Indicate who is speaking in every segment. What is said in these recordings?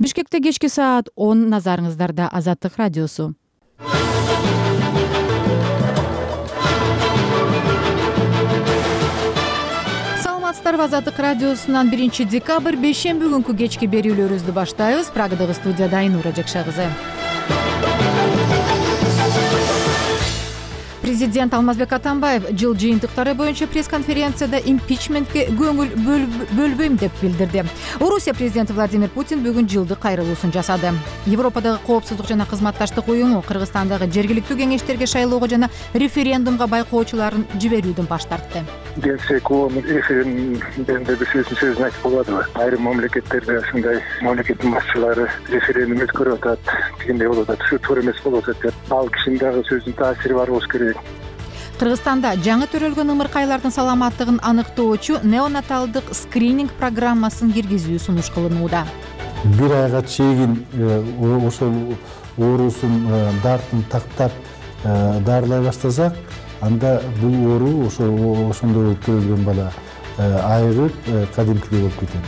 Speaker 1: Бишкекте кечки саат 10 назарыңыздарда Азаттык радиосу. Саламатсыздарбы, Азаттык радиосунан 1 декабрь бейшемби күнкү кечки берүүлөрүбүздү баштайбыз. Прагадагы студияда Айнура Жакша кызы. Президент Алмазбек Атамбаев жыл жыйынтыктары боюнча пресс-конференцияда импичментке көңүл бөлбөйм деп билдирди. Орусия президенти Владимир Путин бүгүн жылдык кайрылуусун жасады. Европадагы коопсуздук жана кызматташтык уюму Кыргызстандагы жергиликтүү кеңештерге шайлоого жана референдумга байкоочуларын жиберүүдөн баш тартты.
Speaker 2: Келсек, референдумда бир сөзүн айтып болбодубу? Айрым мамлекеттерде ушундай мамлекеттин башчылары референдум өткөрүп атат, дегендей болуп атат. Ушу туура эмес болуп атат деп. Ал кишинин дагы сөзүнүн таасири бар болуш керек.
Speaker 1: Кыргызстанда жаңы төрөлгөн ымыркайлардын саламаттыгын аныктоочу неонаталдык скрининг программасын киргизүү сунуш кылынууда.
Speaker 3: Бир айга чейин ошол оорусун дартын тактап дарылай баштасак, анда бул оору ошондо төрөлгөн бала айыгып кадимкидей болуп кетет.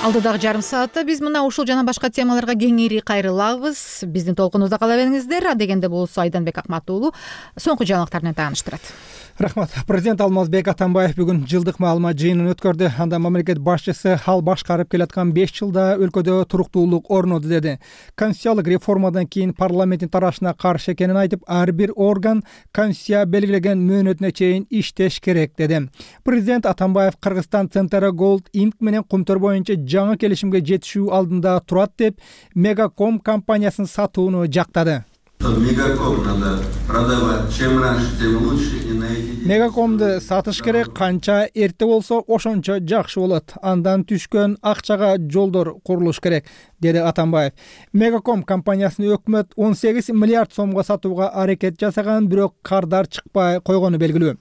Speaker 1: Алдыдагы жарым саатта биз мына ушул жана башка темаларга кеңири кайрылабыз. Биздин толкунубузда кала бериңиздер. Дегенде болсо Айданбек Акматуулу соңку жаңылыктар менен тааныштырат.
Speaker 4: Рахмат. Президент Алмазбек Атамбаев бүгүн жылдык маалымат жыйынын өткөрдү. Анда мамлекет башчысы ал башкарып келаткан 5 жылда өлкөдө туруктуулук орноду деди. Конституциялык реформадан кийин парламенттин тарашына каршы экенин айтып, ар бир орган конституция белгилеген мөөнөтүнө чейин иштеш керек деди. Президент Атамбаев Кыргызстан Центра Gold Inc менен кумтөр боюнча жаңы келишимге жетишүү алдында турат деп Мегаком компаниясын сатууну жактады.
Speaker 5: Мегаком надо продавать. Чем раньше, тем лучше.
Speaker 4: Мегакомду сатыш керек, канча эрте болсо ошончо жакшы болот. Андан түшкөн акчага жолдор курулуш керек, деди Атамбаев. Мегаком компаниясын өкмөт 18 миллиард сомго сатууга аракет жасаган, бирок кардар чыкпай койгону белгилүү.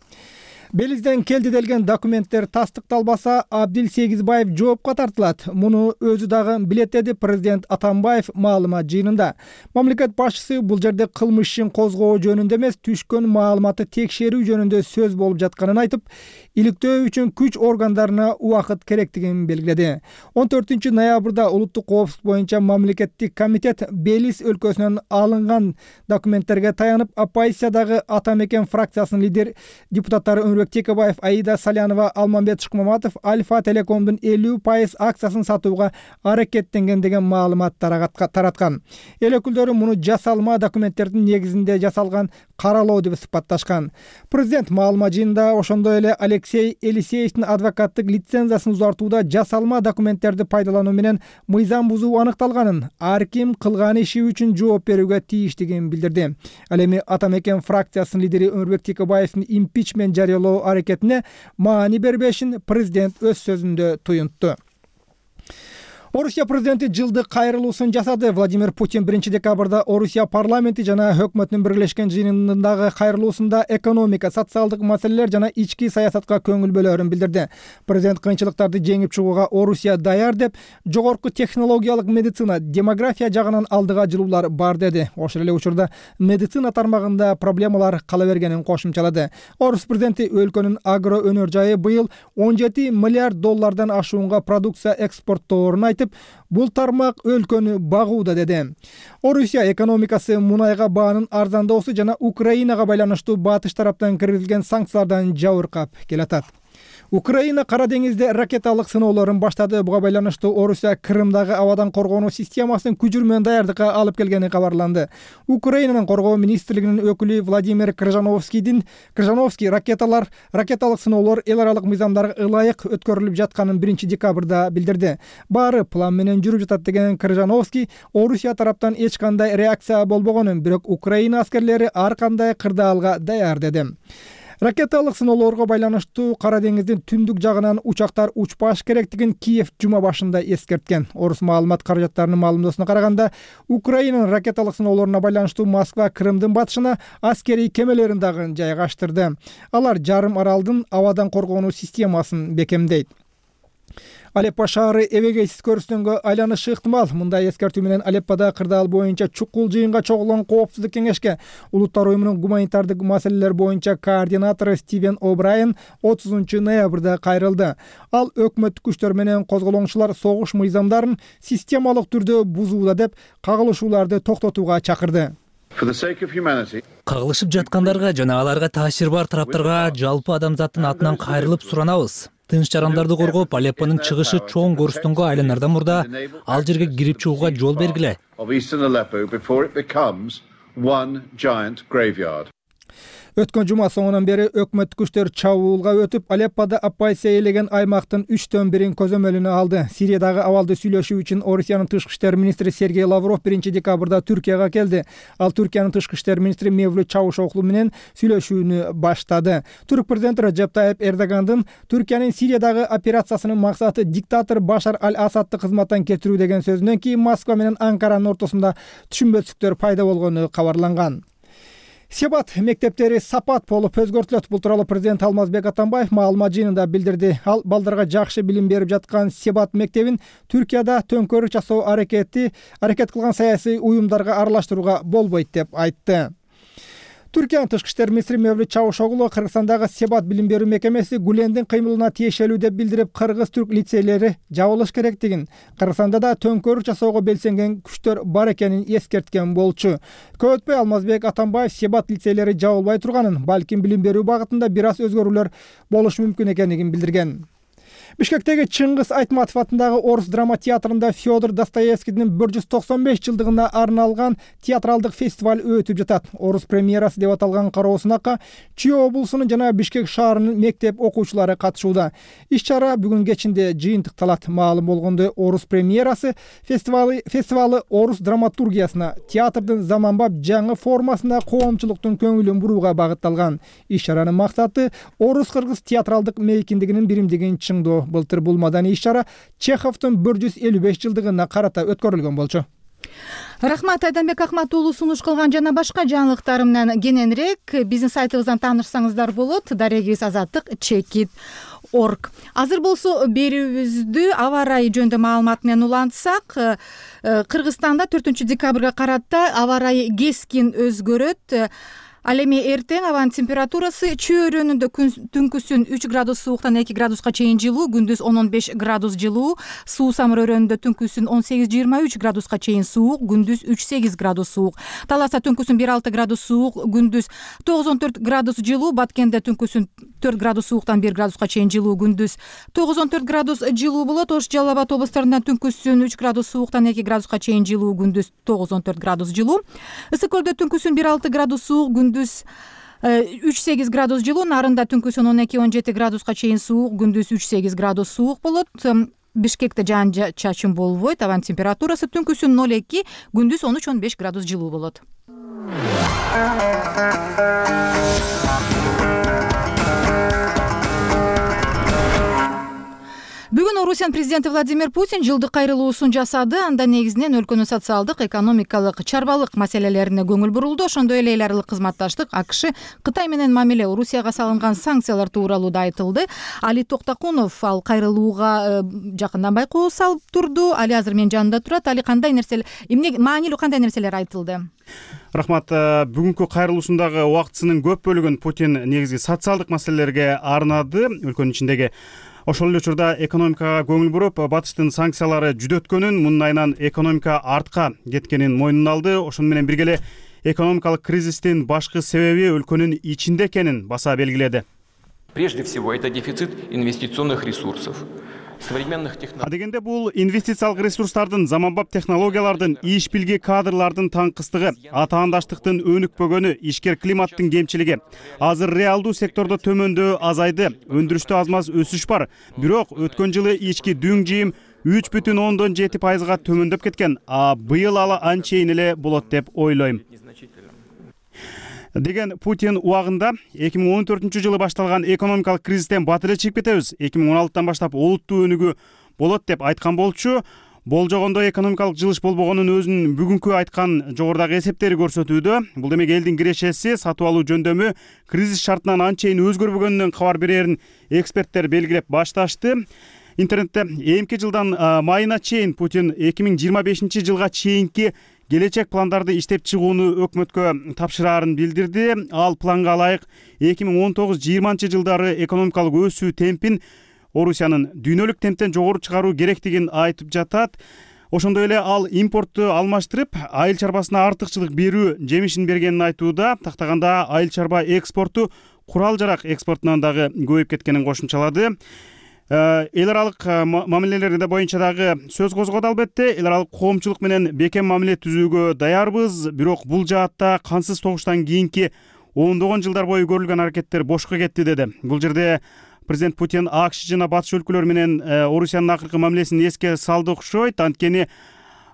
Speaker 4: Белизден келди делген документтер тастыкталбаса, Абдил Сегизбаев жоопко тартылат. Муну өзү дагы билет, деди президент Атамбаев маалымат жыйынында. Мамлекет башчысы бул жерде кылмыш ишин козгоо жөнүндө эмес, түшкөн маалыматты текшерүү жөнүндө сөз болуп жатканын айтып, иликтөө үчүн күч органдарына убакыт керектигин белгиледи. 14 ноябрда улуттук коопсуздук боюнча мамлекеттик комитет Белиз өлкөсүнөн алынган документтерге таянып, оппозициядагы Атамекен фракциясынын лидер депутаттары Текебаев, Аида Салянова, Алмамбет Шыкмаматов Альфа Телекомдун 50% акциясын сатууга аракеттенген деген маалымат тараткан. Эл өкүлдөрү муну жасалма документтердин негизинде жасалган каралоо деп сыпатташкан. Президент маалымат жыйынында ошондой эле Алексей Елисеевдин адвокаттык лицензиясын узартууда жасалма документтерди пайдалануу менен мыйзам бузуу аныкталганын, ар ким кылган иши үчүн жооп берүүгө тийиштигин билдирди. Ал эми Атамекен фракциясынын лидери Өмүрбек Текебаевдин импичмент жарыялоо аракетине маани бербешин президент өз сөзүндө туюнтту. Орусия президенти жылдык кайрылуусун жасады. Владимир Путин 1 декабрда Орусия парламенти жана өкмөтүнүн биргелешкен жыйынындагы кайрылуусунда экономика, социалдык маселелер жана ички саясатка көңүл бөлөрүн билдирди. Президент кыйынчылыктарды жеңип чыгууга Орусия даяр деп, жогорку технологиялык медицина, демография жагынан алдыга жылуулар бар деди. Ошол эле учурда медицина тармагында проблемалар кала бергенин кошумчалады. Орус президенти өлкөнүн агро өнөр жайы быйыл 17 миллиард доллардан ашуунга продукция экспортторун айтып, бул тармак өлкөнү багууда деди. Орусия экономикасы мунайга баанын арзандоосу жана Украинага байланыштуу батыш тараптан киргизилген санкциялардан жабыркап келатат. Украина Кара деңизде ракеталык сыноолорун баштады. Буга байланыштуу Орусия Крымдагы абадан коргонуу системасын күчүрмөн даярдыкка алып келгени кабарланды. Украинанын коргоо министрлигинин өкүлү Владимир Крыжановский ракеталык сыноолор эл аралык мыйзамдарга ылайык өткөрүлүп жатканын 1 декабрда билдирди. Баары план менен жүрүп жатат деген Крыжановский Орусия тараптан эч кандай реакция болбогонун, бирок Украина аскерлери ар кандай кырдаалга даяр деди. Ракеталык сыноолорго байланыштуу Кара деңиздин түндүк жагынан учактар учпаш керектигин Киев жума башында эскерткен. Орус маалымат каражаттарынын маалымдоосуна караганда, Украинанын ракеталык сыноолоруна байланыштуу Москва Крымдын батышына аскерий кемелерин дагы жайгаштырды. Алар жарым аралдын абадан коргонуу системасын бекемдейт. Алеппо шаары эбегейсиз көрүстөнгө айланышы ыктымал. Мындай эскертүү менен Алеппода кырдаал боюнча чукул жыйынга чогулган коопсуздук кеңешке Улуттар уюмунун гуманитардык маселелер боюнча координатору Стивен О'Брайен 30 ноябрда кайрылды. Ал өкмөттүк күчтөр менен козголоңчулар согуш мыйзамдарын системалык түрдө бузууда деп кагылышууларды токтотууга чакырды.
Speaker 6: Кагылышып жаткандарга жана аларга таасир бар тараптарга жалпы адамзаттын атынан кайрылып суранабыз. Тынч жарандарды коргоп, Алеппонун чыгышы чоң көрүстөнгө айланардан мурда ал жерге кирип чыгууга жол бергиле.
Speaker 4: Өткөн жума соңунан бери өкмөттүк күчтөр чабуулга өтүп, Алеппода оппозиция ээлеген аймактын 3/1 көзөмөлүнө алды. Сириядагы абалды сүйлөшүү үчүн Орусиянын тышкы иштер министри Сергей Лавров 1 декабрда Түркияга келди. Ал Түркиянын тышкы иштер министри Мевлют Чавушоглу менен сүйлөшүүнү баштады. Түрк президенти Режеп Тайип Эрдогандын Түркиянын Сириядагы операциясынын максаты диктатор Башар аль-Асадты кызматтан кетирүү деген сөзүнөн кийин Москва менен Анкаранын ортосунда түшүнбөстүктөр пайда болгону кабарланган. Себат мектептери сапат болуп өзгөртүлөт. Бул тууралуу президент Алмазбек Атамбаев маалымат жыйынында билдирди. Ал балдарга жакшы билим берип жаткан Себат мектебин Түркияда төңкөрүк жасоо аракет кылган саясий уюмдарга аралаштырууга болбойт деп айтты. Түркиянын тышкы иштер министри Мевлют Чавушоглу Кыргызстандагы Себат билим берүү мекемеси Гулендин кыймылына тиешелүү деп билдирип, кыргыз-түрк лицейлери жабылыш керектигин, Кыргызстанда да төңкөрүк жасоого белсенген күчтөр бар экенин эскерткен болчу. Көп өтпөй Алмазбек Атамбаев Себат лицейлери жабылбай турганын, балким билим берүү багытында бир аз өзгөрүүлөр болушу мүмкүн экенин билдирген. Бишкектеги Чыңгыз Айтматов атындагы Орус драма театрында Федор Достоевскийдин 195 жылдыгына арналган театралдык фестиваль өтүп жатат. Орус премьерасы деп аталган кароосунакка Чүй облусунун жана Бишкек шаарынын мектеп окуучулары катышууда. Иш-чара бүгүн кечинде жыйынтыкталат. Маалым болгондой, Орус премьерасы фестивалы орус драматургиясына, театрдын заманбап жаңы формасына коомчулуктун көңүлүн бурууга багытталган. Иш-чаранын максаты орус-кыргыз театралдык мейкиндигинин биримдигин чыңдоо. Былтыр бул маданий иш-чара Чеховдун 155 жылдыгына карата өткөрүлгөн болчу.
Speaker 1: Рахмат, Айданбек Акматуулу сунуш кылган жана башка жаңылыктар менен кененирээк биздин сайтыбыздан таанышсаңыздар болот. Дарегибиз azattik.chekit.org. Азыр болсо берүүбүздү аба ырайы жөнүндө маалымат менен улантсак, Кыргызстанда 4 декабрга карата аба ырайы кескин өзгөрөт. Ал эми эртең абанын температурасы Чүй өрөөнүндө түнкүсүн 3 градус сууктан 2 градуска чейин жылуу, күндүз 10-15 градус жылуу, Суу Самыр өрөөнүндө түнкүсүн 18-23 градуска чейин суук, күндүз 3-8 градус суук. Таласта түнкүсүн 1-6 градус суук, күндүз 9-14 градус жылуу, Баткенде түнкүсүн 4 градус сууктан 1 градуска чейин жылуу, күндүз 9-14 градус жылуу болот. Ош Жалал Абад облустарында түнкүсүн 3 градус сууктан 2 градуска чейин жылуу, күндүз 9-14 градус жылуу. Ысык көлдө түнкүсүн 1-6 градус суук, күндүз 3-8 градус жылуу, Нарында түнкүсүн 12-17 градуска чейин суук, күндүз 3-8 градус суук болот. Бишкекте жаан чачын болбойт, абанын температурасы түнкүсүн 0-2, күндүз 13-15 градус жылуу болот. Бүгүн Орусиянын президенти Владимир Путин жылдык кайрылуусун жасады. Анда негизинен өлкөнүн социалдык, экономикалык, чарбалык маселелерине көңүл бурулду. Ошондой эле эл аралык кызматташтык, AKШ, Кытай менен мамиле, Орусияга салынган санкциялар тууралуу да айтылды. Али Токтакунов ал кайрылууга жакындан байкоо салып турду. Али азыр менин жанымда турат. Али, кандай нерселер, эмне маанилүү кандай нерселер айтылды?
Speaker 7: Рахмат. Бүгүнкү кайрылуусундагы убактысынын көп бөлүгүн Путин негизги социалдык маселелерге арнады. Өлкөнүн ичиндеги ошол эле учурда экономикага көңүл буруп, батыштын санкциялары жүдөткөнүн, мунун айынан экономика артка кеткенин мойнуна алды. Ошону менен бирге эле экономикалык кризистин башкы себеби өлкөнүн ичинде экенин баса белгиледи.
Speaker 8: Прежде всего, это дефицит инвестиционных ресурсов.
Speaker 7: Дегенде бул инвестициялык ресурстардын, заманбап технологиялардын, иш билги кадрлардын таңкыстыгы, атаандаштыктын өнүкпөгөнү, ишкер климаттын кемчилиги. Азыр реалдуу сектордо төмөндөө азайды, өндүрүштө аз-маз өсүш бар. Бирок өткөн жылы ички дүң жыйым 3,7% төмөндөп кеткен. Быйыл ала анчейин эле болот деп ойлойм. Деген Путин убагында 2014 жылы башталган экономикалык кризистен бат эле чыгып кетебиз. 2016 баштап олуттуу өнүгүү болот деп айткан болчу. Болжогондой экономикалык жылыш болбогонун өзүнүн бүгүнкү айткан жогорудагы эсептери көрсөтүүдө. Бул демек элдин кирешеси, сатып алуу жөндөмү кризис шартынан анчейин өзгөрбөгөнүнөн кабар берерин эксперттер белгилеп башташты. интернетте эмки жылдан майына чейин Путин 2025 жылга чейинки келечек пландарды иштеп чыгууну өкмөткө тапшыраарын билдирди. Ал планга ылайык 2019-20 жылдары экономикалык өсүү темпин Орусиянын дүйнөлүк темптен жогору чыгаруу керектигин айтып жатат. Ошондой эле ал импортту алмаштырып, айыл чарбасына артыкчылык берүү жемишин бергенин айтууда. Тактаганда айыл чарба экспорту курал-жарак экспортунан дагы көбөйүп кеткенин кошумчалады. Эл аралык мамилелер боюнча дагы сөз козгоду албетте. Эл аралык коомчулук менен бекем мамиле түзүүгө даярбыз. Бирок бул жаатта кансыз согуштан кийинки ондогон жылдар бою көрүлгөн аракеттер бошко кетти деди. Бул жерде президент Путин АКШ жана батыш өлкөлөр менен Орусиянын акыркы мамилесин эске салды окшойт. Анткени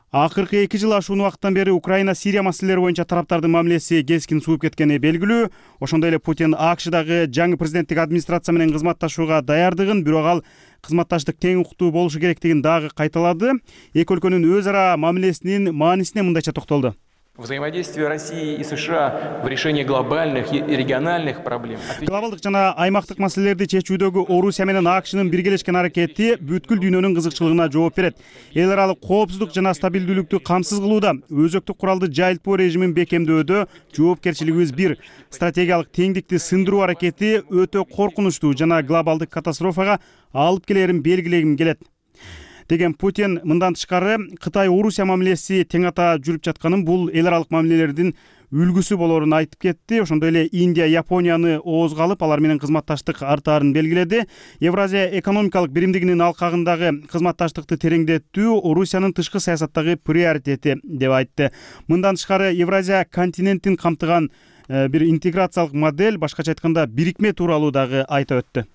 Speaker 7: акыркы 2 жыл ашуун убакыттан бери Украина, Сирия маселелери боюнча тараптардын мамилеси кескин сууп кеткени белгилүү. Ошондой эле Путин АКШдагы жаңы президенттик администрация менен кызматташууга даярдыгын, бирок ал кызматташтык тең укуктуу болушу керектигин дагы кайталады. Эки өлкөнүн өз ара мамилесинин маанисине мындайча токтолду.
Speaker 8: Взаимодействие России и США в решении глобальных и региональных проблем.
Speaker 7: Глобалдык жана аймактык маселелерди чечүүдөгү Орусия менен АКШнын биргелешкен аракети бүткүл дүйнөнүн кызыкчылыгына жооп берет. Эл аралык коопсуздук жана стабилдүүлүктү камсыз кылууда, өзөктүк куралды жайылтпоо режимин бекемдөөдө жоопкерчилигибиз бир. Стратегиялык теңдикти сындыруу аракети өтө коркунучтуу жана глобалдык катастрофага алып келерин белгилегим келет деген Путин. Мындан тышкары Кытай-Орусия мамилеси тең ата жүрүп жатканын, бул эл аралык мамилелердин үлгүсү болорун айтып кетти. Ошондой эле Индия, Японияны оозго алып, алар менен кызматташтык артаарын белгиледи. Евразия экономикалык биримдигинин алкагындагы кызматташтыкты тереңдетүү Орусиянын тышкы саясаттагы приоритети деп айтты. Мындан тышкары Евразия континентин камтыган бир интеграциялык модель, башкача айтканда бирикме тууралуу дагы айта өттү.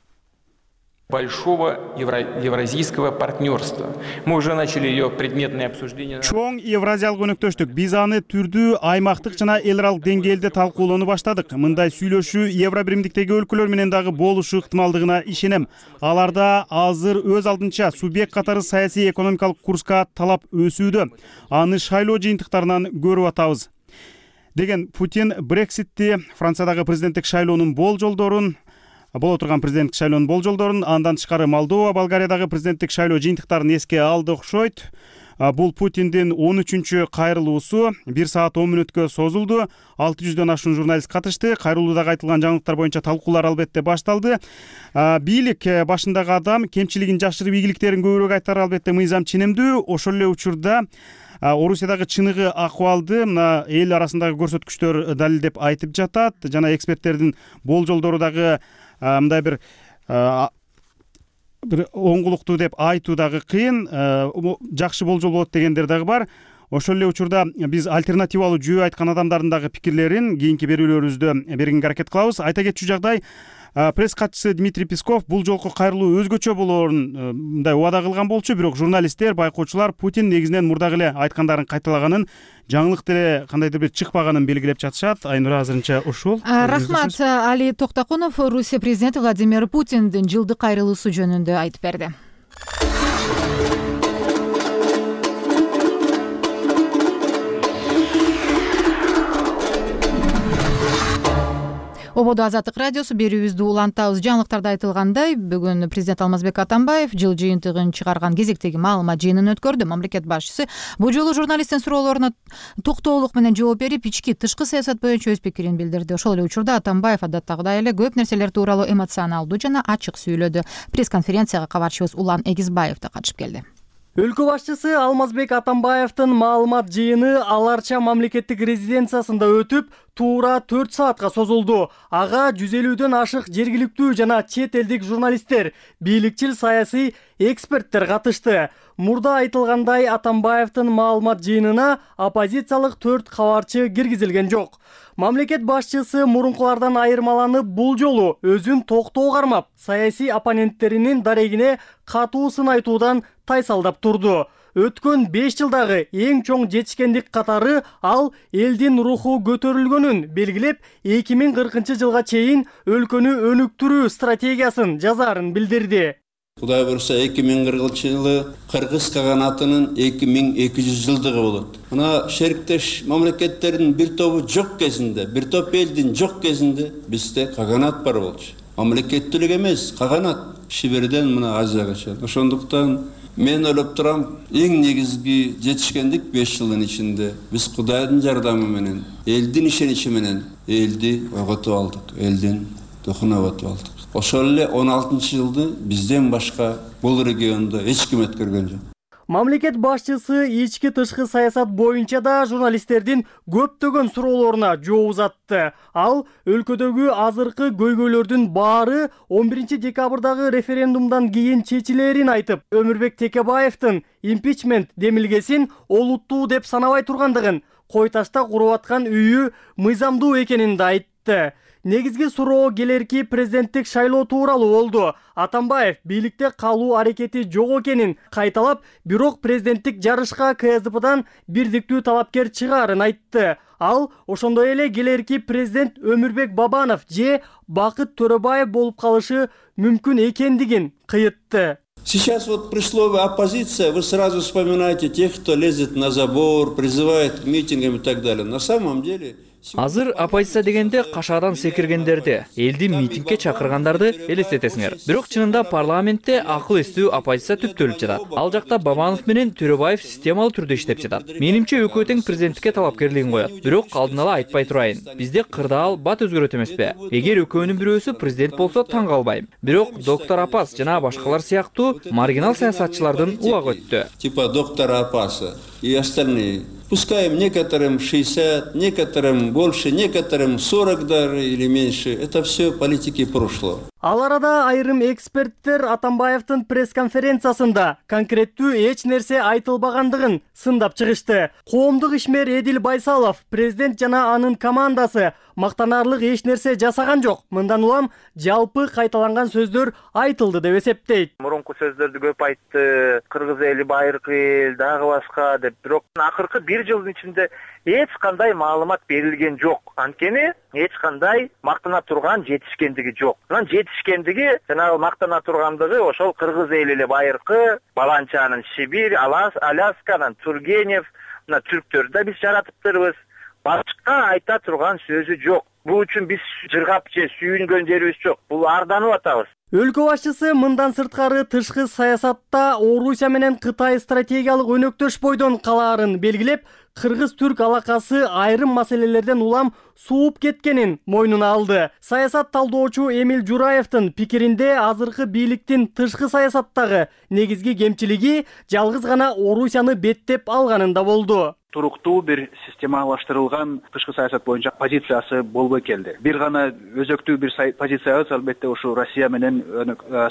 Speaker 8: Большого евразийского партнерства. Мы уже начали ее предметное обсуждение.
Speaker 7: Чоң евразиялык өнөктөштүк. Биз аны түрдүү аймактык жана эл аралык деңгээлде талкуулоону баштадык. Мындай сүйлөшүү Евро биримдиктеги өлкөлөр менен дагы болушу ыктымалдыгына ишенем. Аларда азыр өз алдынча субъект катары саясий экономикалык курска талап өсүүдө. Аны шайлоо жыйынтыктарынан көрүп атабыз деген Путин Брекситти, Франциядагы президенттик шайлоонун болжолдорун, боло турган президенттик шайлоонун болжолдорун, андан тышкары Молдова, Болгариядагы президенттик шайлоо жыйынтыктарын эске алды окшойт. Бул Путиндин 13-чү кайрылуусу 1 саат 10 мүнөткө созулду. 600дөн ашуун журналист катышты. Кайрылуудагы айтылган жаңылыктар боюнча талкуулар албетте башталды. Бийлик башындагы адам кемчилигин жашырып, ийгиликтерин көбүрөөк айтары албетте мыйзам ченемдүү. Ошол эле учурда Орусиядагы чыныгы акыбалды мына эл арасындагы көрсөткүчтөр далилдеп айтып жатат. Жана эксперттердин болжолдору дагы мындай бир оңгулуктуу деп айтуу дагы кыйын. Жакшы болжол болот дегендер дагы бар. Ошол эле учурда биз альтернативалуу жөө айткан адамдардын дагы пикирлерин кийинки берүүлөрүбүздө бергенге аракет кылабыз. Айта кетчү жагдай, пресс катчысы Дмитрий Песков бул жолку кайрылуу өзгөчө болоорун мындай убада кылган болчу, бирок журналисттер, байкоочулар Путин негизинен мурдагы эле айткандарын кайталаганын, жаңылык деле кандайдыр бир чыкпаганын белгилеп жатышат. Айнура, азырынча ушул.
Speaker 1: Рахмат. Али Токтакунов Орусия президенти Владимир Путиндин жылдык кайрылуусу жөнүндө айтып берди. Ободо Азаттык радиосу берүүбүздү улантабыз. Жаңылыктарда айтылгандай, бүгүн президент Алмазбек Атамбаев жыл жыйынтыгын чыгарган кезектеги маалымат жыйынын өткөрдү. Мамлекет башчысы бул жолу журналисттин суроолоруна токтоолук менен жооп берип, ички тышкы саясат боюнча өз пикирин билдирди. Ошол эле учурда Атамбаев адаттагыдай эле көп нерселер тууралуу эмоционалдуу жана ачык сүйлөдү. Пресс-конференцияга кабарчыбыз Улан Эгизбаев да катышып келди.
Speaker 9: Өлкө башчысы Алмазбек Атамбаевдин маалымат жыйыны Аларча мамлекеттик резиденциясында өтүп, туура 4 саатка созулду. Ага 150дөн ашык жергиликтүү жана чет элдик журналисттер, бийликчил саясий эксперттер катышты. Мурда айтылгандай, Атамбаевдин маалымат жыйынына оппозициялык 4 кабарчы киргизилген жок. Мамлекет башчысы мурункулардан айырмаланып, бул жолу өзүн токтоо кармап, саясий оппоненттеринин дарегине катуу сын айтуудан тайсалдап турду. Өткөн 5 жылдагы эң чоң жетишкендик катары ал элдин руху көтөрүлгөнүн белгилеп, 2040 жылга чейин өлкөнү өнүктүрүү стратегиясын жазаарын билдирди.
Speaker 10: Кудай бурса 2040 жылы Кыргыз каганатынын 2200 жылдыгы болот. Мына шериктеш мамлекеттердин бир тобу жок кезинде, бир топ элдин жок кезинде бизде каганат бар болчу. мамлекеттүүлүк эмес, каганат Шиберден мына Азияга. Ошондуктан мен ойлоп турам, эң негизги жетишкендик 5 жылдын ичинде биз Кудайдын жардамы менен, элдин ишеничи менен элди ойготуп алдык, элдин духун ойготуп алдык. Ошол эле 16-жылды бизден башка бул региондо эч ким өткөргөн жок.
Speaker 9: Мамлекет башчысы ички тышкы саясат боюнча да журналисттердин көптөгөн суроолоруна жооп узатты. Ал өлкөдөгү азыркы көйгөйлөрдүн баары 11 декабрдагы референдумдан кийин чечилерин айтып, Өмүрбек Текебаевдин импичмент демилгесин олуттуу деп санабай тургандыгын, Кой Ташта куруп аткан үйү мыйзамдуу экенин да айтты. Негизги суроо келерки президенттик шайлоо тууралуу болду. Атамбаев бийликте калуу аракети жок экенин кайталап, бирок президенттик жарышка КСДПдан бирдиктүү талапкер чыгаарын айтты. Ал ошондой эле келерки президент Өмүрбек Бабанов же Бакыт Төрөбаев болуп калышы мүмкүн экендигин кыйытты.
Speaker 10: Сейчас вот при слове оппозиция вы сразу вспоминаете тех, кто лезет на забор, призывает к митингам и так далее. На самом деле...
Speaker 11: Азыр оппозиция дегенде кашадан секиргендерди, элди митингге чакыргандарды элестетесиңер. Бирок чынында парламентте акыл эстүү оппозиция түптөлүп жатат. Ал жакта Бабанов менен Төрөбаев системалуу түрдө иштеп жатат. Менимче экөө тең президенттикке талапкерлигин коет. Бирок алдын ала айтпай турайын. Бизде кырдаал бат өзгөрөт эмеспи? Эгер экөөнүн бирөөсү президент болсо таң калбайм. Бирок доктор Апас жана башкалар сыяктуу маргинал саясатчылардын убагы өттү.
Speaker 10: Типа доктора Апаса и остальные. Пускай некоторым 60, некоторым больше, некоторым 40 даже или меньше. Это все политики прошлого.
Speaker 9: Ал арада айрым эксперттер Атамбаевдин пресс-конференциясында конкреттүү эч нерсе айтылбагандыгын сындап чыгышты. Коомдук ишмер Эдил Байсалов, президент жана анын командасы мактанарлык эч нерсе жасаган жок. Мындан улам жалпы кайталанган сөздөр айтылды деп эсептейт.
Speaker 12: Мурунку сөздөрдү көп айтты, кыргыз эли байыркы эл, дагы башка деп. Бирок акыркы 1 жылдын ичинде эч кандай маалымат берилген жок. Анткени эч кандай мактана турган жетишкендиги жок. Анан жетишкендиги жанагы мактана тургандыгы ошол кыргыз эли эле байыркы, Баланчанын Сибирь, Алясканын Тургенев, мына түрктөрдү да биз жаратыптырбыз. Башка айта турган сөзү жок. Бул үчүн биз жыргап же сүйүнгөн жерибиз жок. Бул арданып атабыз.
Speaker 9: Өлкө башчысы мындан сырткары тышкы саясатта Орусия менен Кытай стратегиялык өнөктөш бойдон калаарын белгилеп, кыргыз-түрк алакасы айрым маселелерден улам сууп кеткенин мойнуна алды. Саясат талдоочу Эмил Жураевдин пикиринде азыркы бийликтин тышкы саясаттагы негизги кемчилиги жалгыз гана Орусияны беттеп алганында болду.
Speaker 13: Туруктуу бир системалаштырылган тышкы саясат боюнча позициясы болбой келди. Бир гана өзөктүү бир позициябыз албетте ушу Россия менен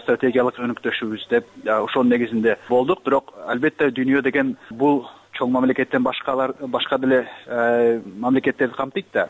Speaker 13: стратегиялык өнөктөшүбүз деп ошонун негизинде болдук. Бирок албетте дүйнө деген бул чоң мамлекеттен башка деле мамлекеттерди камтыйт да.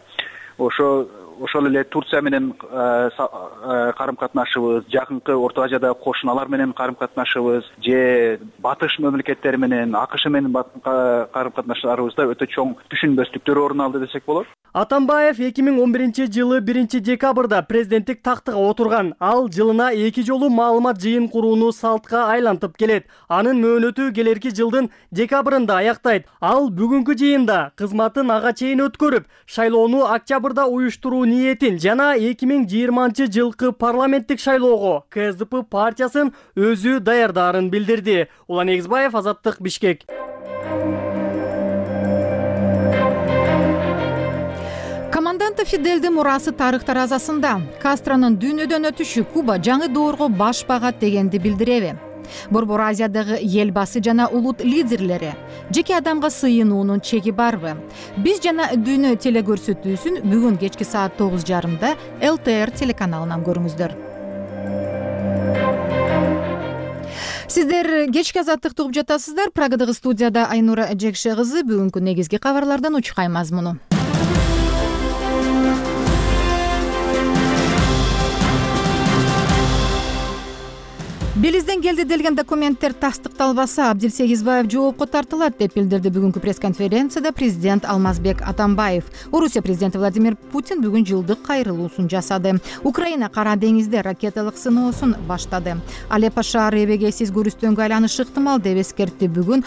Speaker 13: Ошол эле Турция менен карым-катнашыбыз, жакынкы Орто Азиядагы кошуналар менен карым-катнашыбыз, же батыш мамлекеттери менен, АКШ менен карым-катнашууларыбызда өтө чоң түшүнбөстүктөр орун алды десек болот.
Speaker 9: Атамбаев 2011-жылы 1 декабрда президенттик тактыга отурган. Ал жылына 2 жолу маалымат жыйын курууну салтка айлантып келет. Анын мөөнөтү келерки жылдын декабрында аяктайт. Ал бүгүнкү жыйында кызматын ага чейин өткөрүп, шайлоону октябрда уюштуруу ниетин жана 2020-жылкы парламенттик шайлоого КСДП партиясын өзү даярдаарын билдирди. Улан Эгизбаев, Азаттык, Бишкек.
Speaker 1: Команданты Фиделдин мурасы тарых таразасында Кастронун дүйнөдөн өтүшү Куба жаңы доорго баш багат дегенди билдиреби? Борбор Азиядагы эл басы жана улут лидерлери жеке адамга сыйынуунун чеги барбы? Биз жана дүйнө телекөрсөтүүсүн бүгүн кечки саат 9:30 ЛТР телеканалынан көрүңүздөр. Сиздер кечки азаттыкты угуп жатасыздар. Прагадагы студияда Айнура Жекше кызы бүгүнкү негизги кабарлардан учкай мазмуну. Белизден келди делген документтер тастыкталбаса, Абдил Сегизбаев жоопко тартылат деп билдирди бүгүнкү пресс-конференцияда президент Алмазбек Атамбаев. Орусия президенти Владимир Путин бүгүн жылдык кайрылуусун жасады. Украина Кара деңизде ракеталык сыноосун баштады. Алеппо шаары эбегейсиз көрүстөнгө айланышы ыктымал деп эскертти бүгүн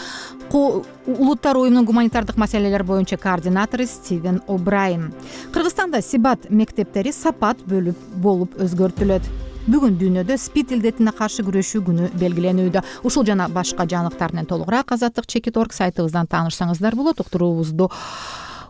Speaker 1: Улуттар уюмунун гуманитардык маселелер боюнча координатору Стивен О'Брайен. Кыргызстанда Сибат мектептери сапат болуп өзгөртүлөт. Бүгүн дүйнөдө СПИД илдетине каршы күрөшүү күнү белгиленүүдө. Ушул жана башка жаңылыктар менен толугураак azatlyk.org сайтыбыздан таанышсаңыздар болот. Уктуруубузду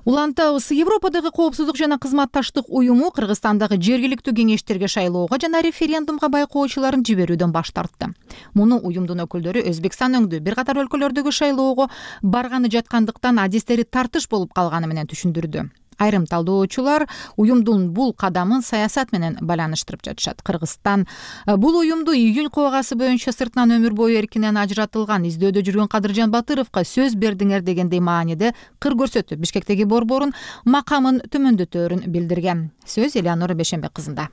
Speaker 1: улантабыз. Европадагы коопсуздук жана кызматташтык уюму Кыргызстандагы жергиликтүү кеңештерге шайлоого жана референдумга байкоочуларын жиберүүдөн баш тартты. Муну уюмдун өкүлдөрү Өзбекстан өңдүү бир катар өлкөлөрдөгү шайлоого барганы жаткандыктан адистери тартыш болуп калганы менен түшүндүрдү. Айрым талдоочулар уюмдун бул кадамын саясат менен байланыштырып жатышат. Кыргызстан бул уюмду июнь кубагасы боюнча сыртынан өмүр бою эркинен ажыратылган издөөдө жүргөн Кадыржан Батыровго сөз бердиңер дегендей мааниде кыр көрсөтүп, Бишкектеги борборун макамын төмөндөтөөрүн билдирген. Сөз Элеонора Бешенбек кызында.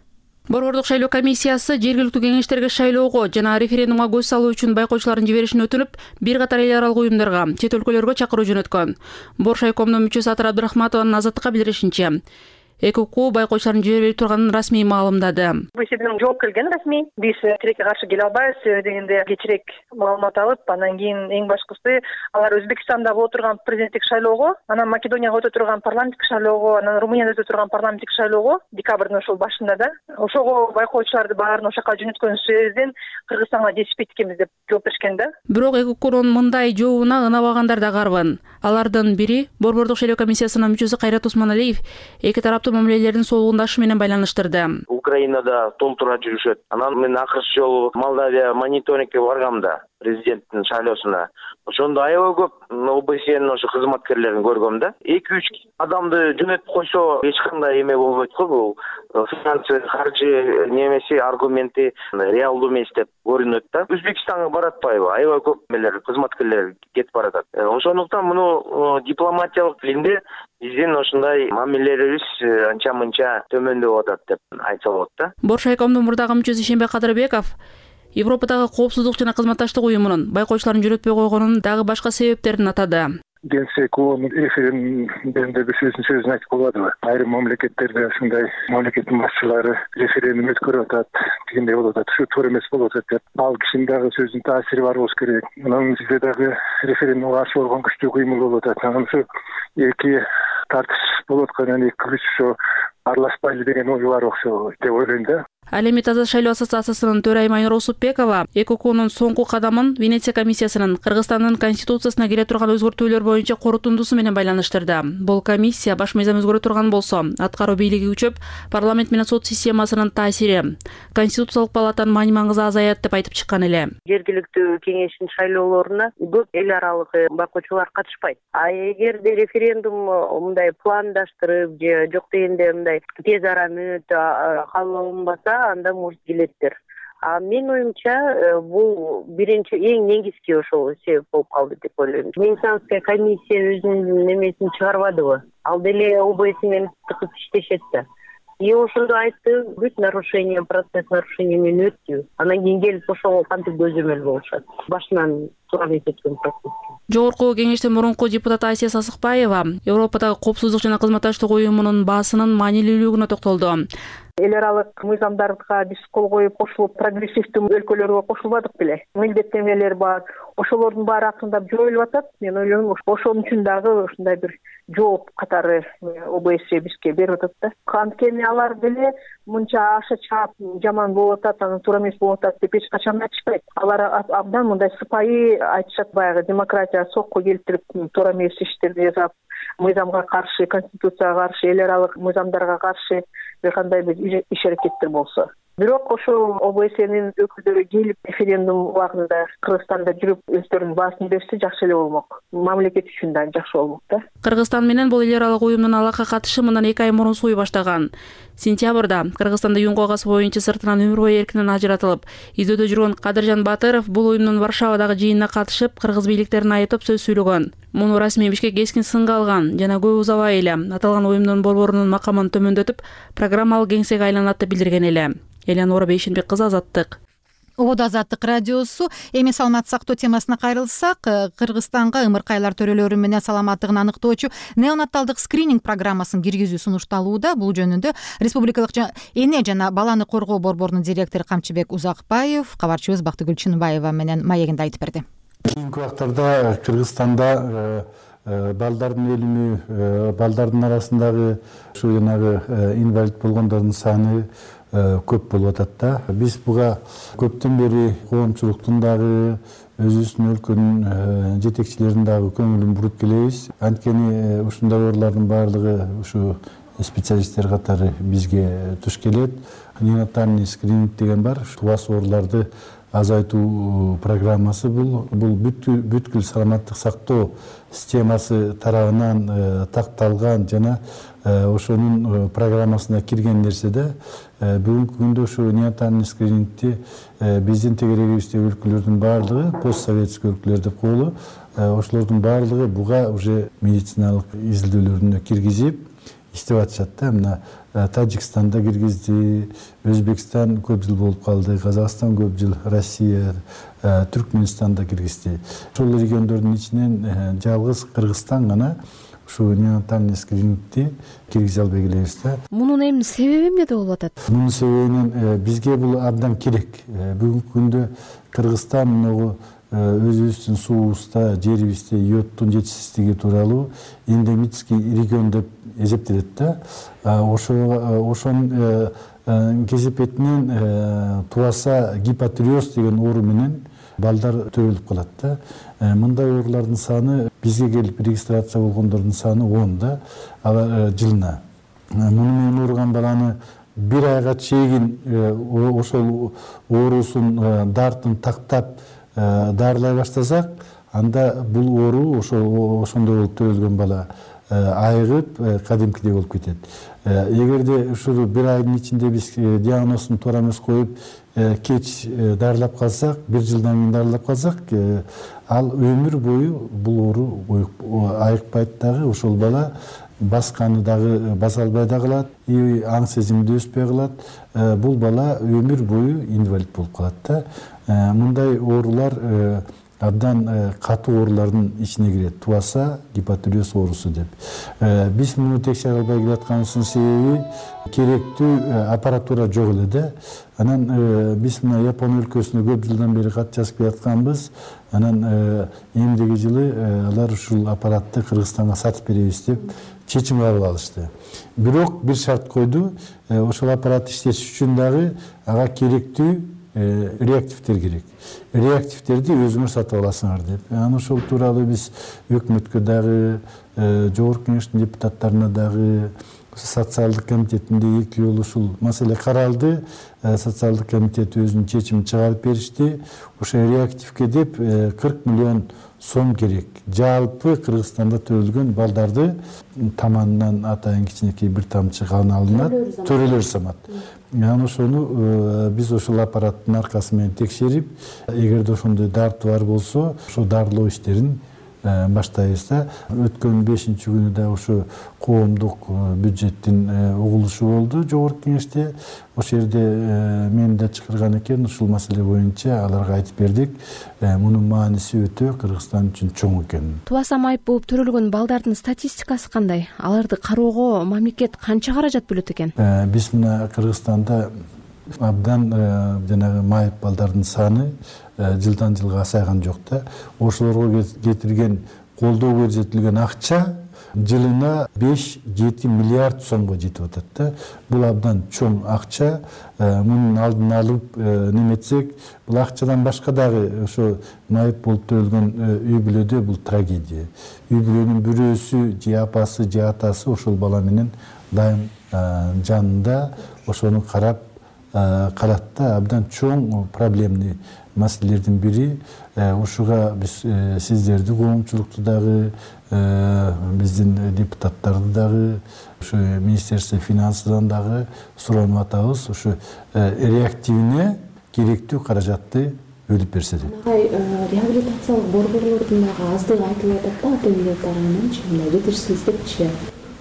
Speaker 14: Борбордук шайлоо комиссиясы жергиликтүү кеңештерге шайлоого жана референдумга көз салуу үчүн байкоочулардын жиберишин өтүнүп, бир катар эл аралык уюмдарга, чет өлкөлөргө чакыруу жөнөткөн. Боршайкомдун мүчөсү Атыр Абдрахматованын Азаттыкка билдиришинче, ЭКУ байкоочулардын жибербей турганын расмий маалымдады.
Speaker 15: Бул жерден жооп келген расмий. Биз тилекке каршы келе албайбыз дегенде кечирээк маалымат алып, анан кийин эң башкысы алар Өзбекстанда боло турган президенттик шайлоого, анан Македонияга өтө турган парламенттик шайлоого, анан Румынияда өтө турган парламенттик шайлоого декабрдын ошол башында да ошого байкоочуларды баарын ошол жака жөнөткөн сөзден Кыргызстанга жетишпейт экенбиз деп жооп беришкен да.
Speaker 14: Бирок ЭКУнун мындай жообуна ынабагандар да карбын. Алардын бири Борбордук шайлоо комиссиясынын мүчөсү Кайрат Усманалиев эки тараптуу мамилелердин солугундашы менен байланыштырды.
Speaker 16: Украинада толтура жүрүшөт. Анан мен акыркы жолу Молдавия мониторингке баргам да президенттин шайлоосуна. Ошондо аябай көп ОБСЕнин ошо кызматкерлерин көргөм да. 2-3 адамды жөнөтүп койсо эч кандай эме болбойт го, бул финансы, каржы немеси аргументи реалдуу эмес деп көрүнөт да. Өзбекстанга баратпайбы? Аябай көп эмелер, кызматкерлер кетип баратат. Ошондуктан муну дипломатиялык тилинде биздин ошондой мамилелерибиз анча-мынча төмөндөп атат деп айтса болот да.
Speaker 14: Боршайкомдун мурдагы мүчөсү Шембек Кадырбеков Европадагы коопсуздук жана кызматташтык уюмунун байкоочуларын жөнөтпөй койгонунун дагы башка себептерин атады.
Speaker 2: Генсекунун референдумда бир сөзүн айтып койбодубу? Айрым мамлекеттерде ушундай мамлекеттин башчылары референдум өткөрүп атат, дегендей болуп атат. Ушу туура эмес болуп атат деп. Ал кишинин дагы сөзүнүн таасири бар болуш керек. Анан бизде дагы референдумга каршы болгон күчтүү кыймыл болуп атат. Анан ушу эки тартыш болуп аткандан эки күч ошо аралашпайлы деген ой бар окшойт деп ойлойм да.
Speaker 14: Ал эми Таза шайлоо ассоциациясынын төрайымы Айнура Усупбекова ЭКУнун соңку кадамын Венеция комиссиясынын Кыргызстандын конституциясына келе турган өзгөртүүлөр боюнча корутундусу менен байланыштырды. Бул комиссия баш мыйзам өзгөрө турган болсо, аткаруу бийлиги күчөп, парламент менен сот системасынын таасири, конституциялык палатанын маани-маңызы азаят деп айтып чыккан эле.
Speaker 17: Жергиликтүү кеңештин шайлоолоруна көп эл аралык байкоочулар катышпайт. А эгерде референдум мындай пландаштырып же жок дегенде мындай тез араны кабыл анда может келеттир. А менин оюмча бул биринчи эң негизги ошол себеп болуп калды деп ойлойм. Венецианская комиссия өзүнүн немесин чыгарбадыбы? Ал деле ОБС менен тыкып иштешет да. И ошондо айтты, бүт нарушение, процесс нарушения менен өттү. Анан кийин келип ошого кантип көзөмөл болушат. Башынан туура эмес өткөн процесс.
Speaker 14: Жогорку кеңештин мурунку депутаты Асия Сасыкбаева Европадагы коопсуздук жана кызматташтык уюмунун баасынын маанилүүлүгүнө токтолду.
Speaker 15: Эл аралык мыйзамдарга биз кол коюп кошулуп, прогрессивдүү өлкөлөргө кошулбадык беле. Милдеттенмелер бар. Ошолордун баары акырындап жоюлуп атат. Мен ойлойм, ошон үчүн дагы ушундай бир жооп катары ОБС бизге берип атат да. Анткени алар деле мынча аша чаап жаман болуп атат, анан туура эмес болуп атат деп эч качан айтышпайт. Алар абдан мындай сыпайы айтышат, баягы демократия сокко келтирип, туура эмес иштерди жасап, мыйзамга каршы, конституцияга каршы, эл аралык мыйзамдарга каршы бир кандай бир иш аракеттер болсо. Бирок ошол ОБСнин өкүлдөрү келип референдум убагында Кыргызстанда жүрүп өздөрүнүн баасын берсе жакшы эле болмок. Мамлекет үчүн да жакшы болмок да.
Speaker 14: Кыргызстан менен бул эл аралык уюмдун алакка катышы мындан 2 ай мурун сууй баштаган. Сентябрда Кыргызстанда июнь кубагасы боюнча сыртынан өмүр бою эркинен ажыратылып, издөөдө жүргөн Кадыржан Батыров бул уюмдун Варшавадагы жыйынына катышып, кыргыз бийликтерин айыптап сөз сүйлөгөн. Муну расмий Бишкек кескин сынга алган жана көп узабай эле аталган уюмдун борборунун макамын төмөндөтүп, программалык кеңсеге айланат деп билдирген эле. Элеонора Бейшенбек кызы, Азаттык.
Speaker 1: Ободо Азаттык радиосу. Эми саламат сактоо темасына кайрылсак, Кыргызстанга ымыркайлар төрөлөрү менен саламаттыгын аныктоочу неонаталдык скрининг программасын киргизүү сунушталууда. Бул жөнүндө Республикалык эне жана баланы коргоо борборунун директору Камчыбек Узакбаев кабарчыбыз Бактыгүл Чынбаева менен маегинде айтып берди.
Speaker 3: Кийинки убактарда Кыргызстанда балдардын өлүмү, балдардын арасындагы ушу жанагы инвалид болгондордун саны көп болуп атат да. Биз буга көптөн бери коомчулуктун дагы өзүбүздүн өлкөнүн жетекчилеринин дагы көңүлүн буруп келебиз. Анткени ушундай оорулардын баардыгы ушу специалисттер катары бизге туш келет. Неонатальный скрининг деген бар. Тубас ооруларды азайтуу программасы бул бүткүл саламаттык сактоо системасы тарабынан такталган жана ошонун программасына кирген нерсе да. Бүгүнкү күндө ушу неонатальный скринингти биздин тегерегибиздеги өлкөлөрдүн баардыгы постсоветский өлкөлөр деп коелу. Ошолордун баардыгы буга уже медициналык изилдөөлөрүнө киргизип иштеп атышат да. Мына Тажикстанда киргизди, Өзбекстан көп жыл болуп калды, Казакстан көп жыл, Россия, Түркмөнстанда киргизди. Ошол региондордун ичинен жалгыз Кыргызстан гана ушу неонатальный скринингти киргизе албай келебиз да.
Speaker 18: Мунун эми себеби эмнеде болуп атат?
Speaker 3: Мунун себебинен бизге бул абдан керек. Бүгүнкү күндө Кыргызстан могу өзүбүздүн суубузда, жерибизде йодтун жетишсиздиги тууралуу эндемический регион деп эсептелет да. Ошонун кесепетинен туаса гипотиреоз деген оору менен балдар төрөлүп калат да. Мындай оорулардын саны бизге келип регистрация болгондордун саны 10 да, жылына. Муну менен ооруган баланы бир айга чейин ошол оорусун дартын тактап дарылай баштасак, анда бул оору ошондой болуп төрөлгөн бала айыгып кадимкидей болуп кетет. Эгерде ушул бир айдын ичинде биз диагнозун туура эмес коюп кеч дарылап калсак, бир жылдан кийин дарылап калсак, ал өмүр бою бул оору айыкпайт дагы, ошол бала басканы дагы баса албай да калат, аң сезимди өспөй калат. Бул бала өмүр бою инвалид болуп калат да. Мындай оорулар абдан катуу оорулардын ичине кирет. Туаса гипотиреоз оорусу деп. Биз муну текшере албай келатканыбыздын себеби керектүү аппаратура жок эле да. Анан биз мына Япон өлкөсүнө көп жылдан бери кат жазып келатканбыз. Анан эмдиги жылы алар ушул аппаратты Кыргызстанга сатып беребиз деп чечим кабыл алышты. Бирок бир шарт койду. Ошол аппаратты иштетиш үчүн дагы ага керектүү реактивдер керек. Реактивдерди өзүңөр сатып аласыңар деп. Анан ошол тууралуу биз өкмөткө дагы, жогорку кеңештин депутаттарына дагы, социалдык комитетинде 2 жолу ушул маселе каралды. Социалдык комитет өзүнүн чечимин чыгарып беришти. Ошо реактивге деп 40 миллион сом керек. Жалпы Кыргызстанда төрөлгөн балдарды таманынан атайын кичинекей бир тамчы кан алынат, төрөлөр самат. Анан ошону биз ошол аппараттын аркасы менен текшерип, эгерде ошондой дарты бар болсо, ошо дарылоо иштерин баштайбыз да. Өткөн 5-күнү да ошо коомдук бюджеттин угулушу болду жогорку кеңеште. Ошол жерде мени да чакырган экен, ушул маселе боюнча аларга айтып бердик. Мунун мааниси өтө Кыргызстан үчүн чоң экенин.
Speaker 18: Тубаса майып болуп төрөлгөн балдардын статистикасы кандай? Аларды кароого мамлекет канча каражат бөлөт экен?
Speaker 3: Биз мына Кыргызстанда абдан жанагы майып балдардын саны жылдан жылга асайган жок да. Ошолорго кетирген колдоо көрсөтүлгөн акча жылына 5-7 миллиард сомго жетип атат да. Бул абдан чоң акча. Мунун алдын алып неметсек, бул акчадан башка дагы ошо майып болуп төрөлгөн үй бүлөдө бул трагедия. Үй бүлөнүн бирөөсү, же апасы, же атасы ошол бала менен дайым жанында ошону карап калат да. Абдан чоң проблемный маселелердин бири. Ушуга биз сиздерди, коомчулукту дагы, биздин депутаттарды дагы, ушу Министерство финансыдан дагы суранып атабыз. Ушу реактивине керектүү каражатты бөлүп берсе деп.
Speaker 14: Реабилитациялык борборлордун дагы аздыгы айтылып атат да, ата-энелер тарабынан мындай жетишсиз депчи.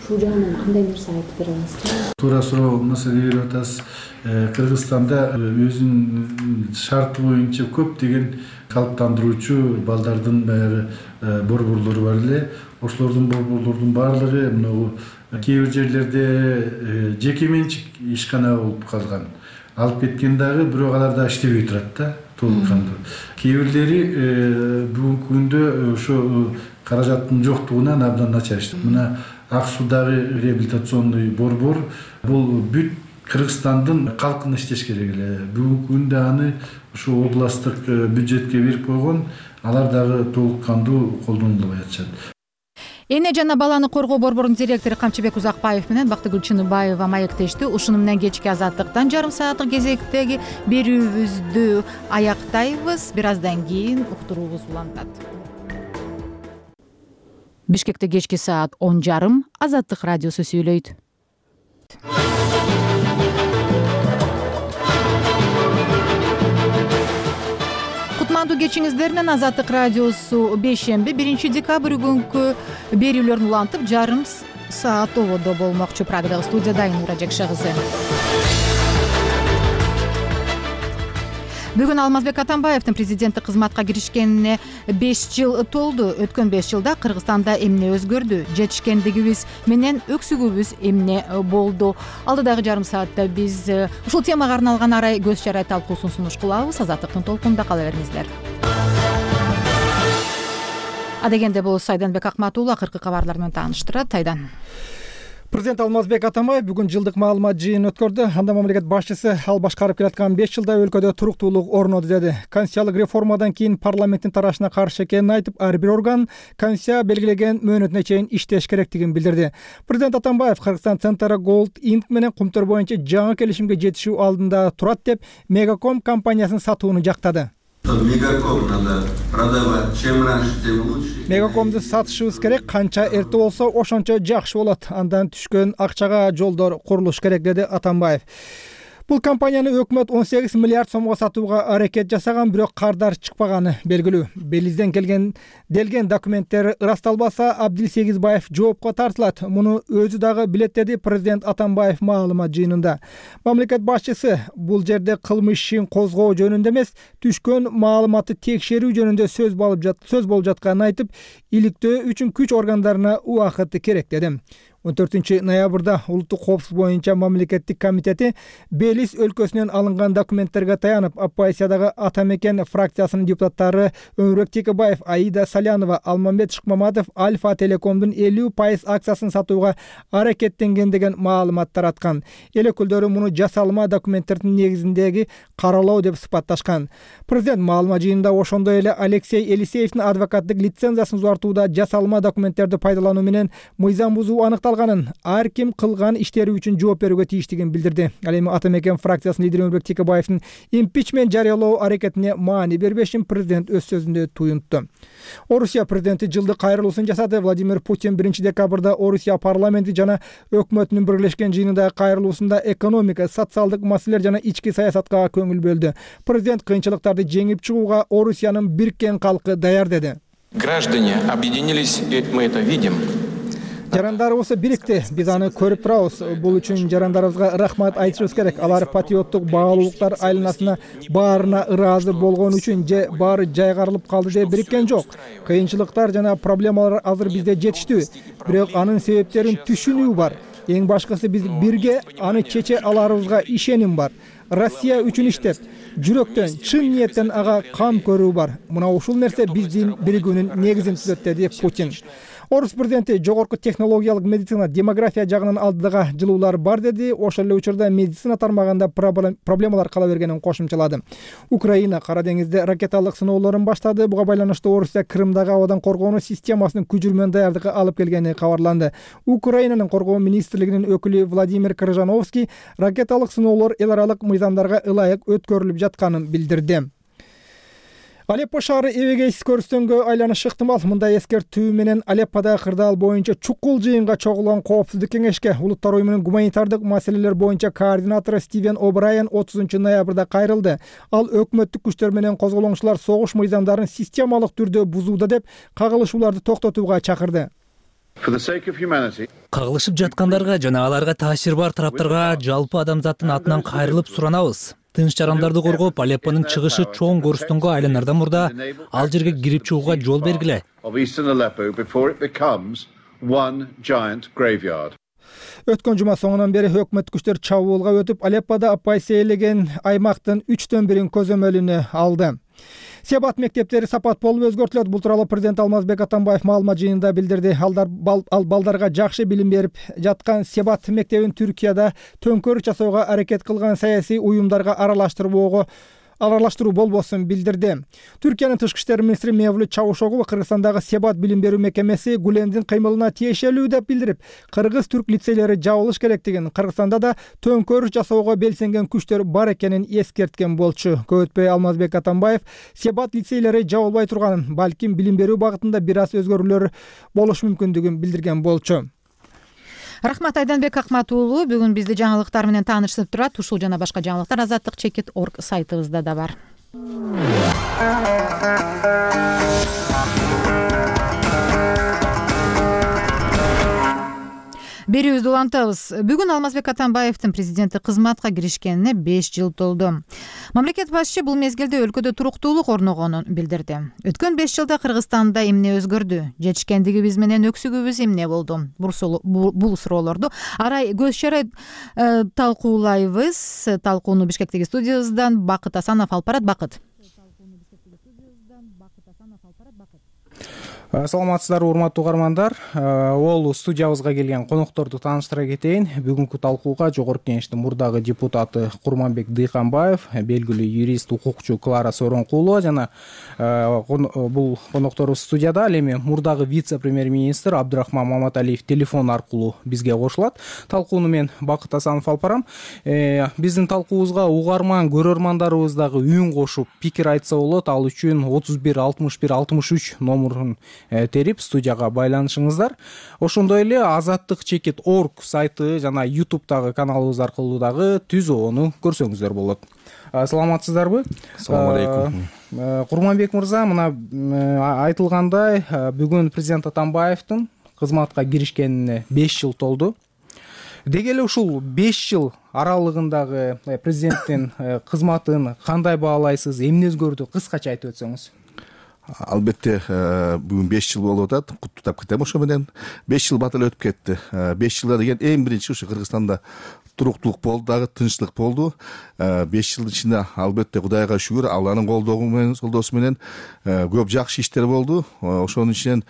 Speaker 14: Ушул жагынан кандай нерсе айтып бере аласызбы?
Speaker 3: Туура суроо маселе берип атасыз. Кыргызстанда өзүнүн шарты боюнча көп деген калыптандыруучу балдардын баягы борборлору бар эле. Ошолордун борборлордун баардыгы мына кээ бир жерлерде жеке менчик ишкана болуп калган. Алып кеткен дагы, бирок алар да иштебей турат да, толуккандуу. Кээ бирлери бүгүнкү күндө ошо каражаттын жоктугунан абдан начар иштейт. Мына Ак Суудагы реабилитационный борбор бул бүт Кыргызстандын калкына иштеш керек эле. Бүгүнкү күндө аны ушу областтык бюджетке берип койгон, алар дагы толук кандуу колдонулбай атышат.
Speaker 1: Эне жана баланы коргоо борборунун директору Камчыбек Узакбаев менен Бактыгүл Чыныбаева маектешти. Ушуну менен кечки Азаттыктан жарым сааттык кезектеги берүүбүздү аяктайбыз. Бир аздан кийин уктуруубуз улантат. Бишкекте кечки саат 10:30 Азаттык радиосу сүйлөйт. Кутмандуу кечиңиздер менен Азаттык радиосу бейшемби 1-декабрь күнкү берүүлөрүн улантып жарым саат ободо болмокчу. Прагадагы студияда Айнура Жекше кызы. Бүгүн Алмазбек Атамбаевдин президенттик кызматка киришкенине 5 жыл толду. Өткөн 5 жылда Кыргызстанда эмне өзгөрдү? Жетишкендигибиз менен өксүгүбүз эмне болду? Алдыдагы жарым саатта биз ушул темага арналган арай көз чарай талкуусун сунуш кылабыз. Азаттыктын толкунунда кала бериңиздер. Адегенде бул Айданбек Акматулла акыркы кабарлар менен тааныштырат. Айдан.
Speaker 4: Президент Алмазбек Атамбаев бүгүн жылдык маалымат жыйынын өткөрдү. Анда мамлекет башчысы ал башкарып келаткан 5 жылда өлкөдө туруктуулук орноду деди. Конституциялык реформадан кийин парламенттин тарашына каршы экенин айтып, ар бир орган Конституция белгилеген мөөнөтүнө чейин иштеш керектигин билдирди. Президент Атамбаев Кыргызстан Центра Gold Inc менен кумтөр боюнча жаңы келишимге жетишүү алдында турат деп Мегаком компаниясын сатууну жактады.
Speaker 5: Мегаком надо продавать. Чем раньше, тем лучше.
Speaker 4: Мегакомду сатышыбыз керек, канча эрте болсо ошончо жакшы болот. Андан түшкөн акчага жолдор курулуш керек, деди Атамбаев. Бул компанияны өкмөт 18 миллиард сомго сатууга аракет жасаган, бирок кардар чыкпаганы белгилүү. Белизден делген документтер ырасталбаса, Абдилсегизбаев жоопко тартылат. Муну өзү дагы билет, деди президент Атамбаев маалымат жыйынында. Мамлекет башчысы бул жерде кылмыш ишин козгоо жөнүндө эмес, түшкөн маалыматты текшерүү жөнүндө сөз болуп жатканын айтып, иликтөө үчүн күч органдарына убакыт керек, деди. 14 ноябрда улуттук коопсуздук боюнча мамлекеттик комитети Белиз өлкөсүнөн алынган документтерге таянып, оппозициядагы Атамекен фракциясынын депутаттары Өмүрбек Текебаев, Аида Салянова, Алмамбет Шыкмаматов Альфа Телекомдун 50% акциясын сатууга аракеттенген деген маалымат тараткан. Эл өкүлдөрү муну жасалма документтердин негизиндеги каралоо деп сыпатташкан. Президент маалымат жыйынында ошондой эле Алексей Елисеевдин адвокаттык лицензиясын узартууда жасалма документтерди пайдалануу менен мыйзам бузуу аныкталганын, ар ким кылган иштери үчүн жооп берүүгө тийиштигин билдирди. Ал эми Атамекен фракциясынын лидери Өмүрбек Текебаевдин импичмент жарыялоо аракетине маани бербешин президент өз сөзүндө туюнтту. Орусия президенти жылдык кайрылуусун жасады. Владимир Путин 1-декабрда Орусия парламенти жана өкмөтүнүн бирлешкен жыйынындагы кайрылуусунда экономика, социалдык маселелер жана ички саясатка көңүл бөлдү. Президент кыйынчылыктарды жеңип чыгууга Орусиянын бириккен калкы даяр, деди.
Speaker 8: Граждане объединились, и мы это видим.
Speaker 4: Жарандарыбыз бирикти, биз аны көрүп турабыз. Бул үчүн жарандарыбызга рахмат айтышыбыз керек. Алар патриоттук баалуулуктар айланасына баарына ыраазы болгон үчүн же баары жайгарылып калды деп бириккен жок. Кыйынчылыктар жана проблемалар азыр бизде жетиштүү, бирок анын себептерин түшүнүү бар. Эң башкысы биз бирге аны чече аларыбызга ишеним бар. Россия үчүн иштеп, жүрөктөн, чын ниеттен ага кам көрүү бар. Мына ушул нерсе биздин биригүүнүн негизин түзөт, деди Путин. Орус президенти жогорку технологиялык медицина, демография жагынан алдыга жылуулар бар, деди. Ошол эле учурда медицина тармагында проблемалар кала бергенин кошумчалады. Украина Кара деңизде ракеталык сыноолорун баштады. Буга байланыштуу Орусия Крымдагы абадан коргонуу системасынын күжүрмөн даярдыкка алып келгени кабарланды. Украинанын коргоо министрлигинин өкүлү Владимир Крыжановский ракеталык сыноолор эл аралык мыйзамдарга ылайык өткөрүлүп жатканын билдирди. Алеппо шаары эбегейсиз көрүстөнгө айланышы ыктымал. Мындай эскертүү менен Алепподагы кырдаал боюнча чукул жыйынга чогулган коопсуздук кеңешке Улуттар уюмунун гуманитардык маселелер боюнча координатору Стивен О'Брайен 30 ноябрда кайрылды. Ал өкмөттүк күчтөр менен козголоңчулар согуш мыйзамдарын системалык түрдө бузууда деп кагылышууларды токтотууга чакырды.
Speaker 6: Кагылышып жаткандарга жана аларга таасир бар тараптарга жалпы адамзаттын атынан кайрылып суранабыз. Тынч жарандарды коргоп, Алеппонун чыгышы чоң көрүстөнгө айланардан мурда ал жерге кирип чыгууга жол бергиле.
Speaker 4: Өткөн жума соңунан бери өкмөт күчтөр чабуулга өтүп, Алеппода оппозиция ээлеген аймактын 3/4 көзөмөлүнө алды. Себат мектептери сапат болуп өзгөртүлөт. Бул тууралуу президент Алмазбек Атамбаев маалымат жыйынында билдирди. Ал балдарга жакшы билим берип жаткан Себат мектебин Түркияда төңкөрүш жасоого аракет кылган саясий уюмдарга аралаштыруу болбосун билдирди. Түркиянын тышкы иштер министри Мевлют Чавушоглу Кыргызстандагы Себат билим берүү мекемеси Гулендин кыймылына тиешелүү деп билдирип, кыргыз-түрк лицейлери жабылыш керектигин, Кыргызстанда да төңкөрүш жасоого белсенген күчтөр бар экенин эскерткен болчу. Көп өтпөй Алмазбек Атамбаев Себат лицейлери жабылбай турганын, балким билим берүү багытында бир аз өзгөрүүлөр болушу мүмкүндүгүн билдирген болчу.
Speaker 1: Рахмат Айданбек Акмат уулу. Бүгүн бизди жаңылыктар менен таанышсып турат. Ушул жана башка жаңылыктар azattik.org сайтыбызда да бар. Берүүбүздү улантабыз. Бүгүн Алмазбек Атамбаевдин президенттик кызматка киришкенине 5 жыл толду. Мамлекет башчы бул мезгилде өлкөдө туруктуулук орногонун билдирди. Өткөн 5 жылда Кыргызстанда эмне өзгөрдү? Жетишкендигибиз менен өксүгүбүз эмне болду? Бул суроолорду арай көз шарай талкуулайбыз. Талкууну Бишкектеги студиябыздан Бакыт Асанов алып барат. Бакыт.
Speaker 19: Саламатсыздарбы, урматтуу угармандар. Ол студиябызга келген конокторду тааныштыра кетейин. Бүгүнкү талкууга Жогорку Кеңештин мурдагы депутаты Курманбек Дыйканбаев, белгилүү юрист, укукчу Клара Сооронкулова жана бул конокторубуз студияда. Ал эми мурдагы вице-премьер-министр Абдырахман Маматалиев телефон аркылуу бизге кошулат. Талкууну мен Бакыт Асанов алып барам. Биздин талкуубузга угарман көрөрмандарыбыз дагы үн кошуп, пикир айтса болот. Ал үчүн 31 61 63 номурун терип студияга байланышыңыздар. Ошондой эле azattik.org сайты жана YouTube'дагы каналыбыз аркылуу дагы түзүүнү көрсөңүздөр болот. Саламатсыздарбы?
Speaker 20: Салам алейкум.
Speaker 19: Курманбек мырза, мына айтылгандай, бүгүн президент Атамбаевдин кызматка киришкенине 5 жыл толду. Деги эле ушул 5 жыл аралыгындагы президенттин кызматын кандай баалайсыз? Эмне өзгөрдү? Кыскача айтып өтсөңүз.
Speaker 20: Албетте, бүгүн 5 жыл болуп атат. Куттуктап кетем ошо менен. 5 жыл батыл өтүп кетти. 5 жылда деген эң биринчи ушу Кыргызстанда туруктуулук болду, дагы тынчтык болду. 5 жылдын ичинде албетте Кудайга шүгүр, Алланын колдоосу менен көп жакшы иштер болду. Ошонун ичинен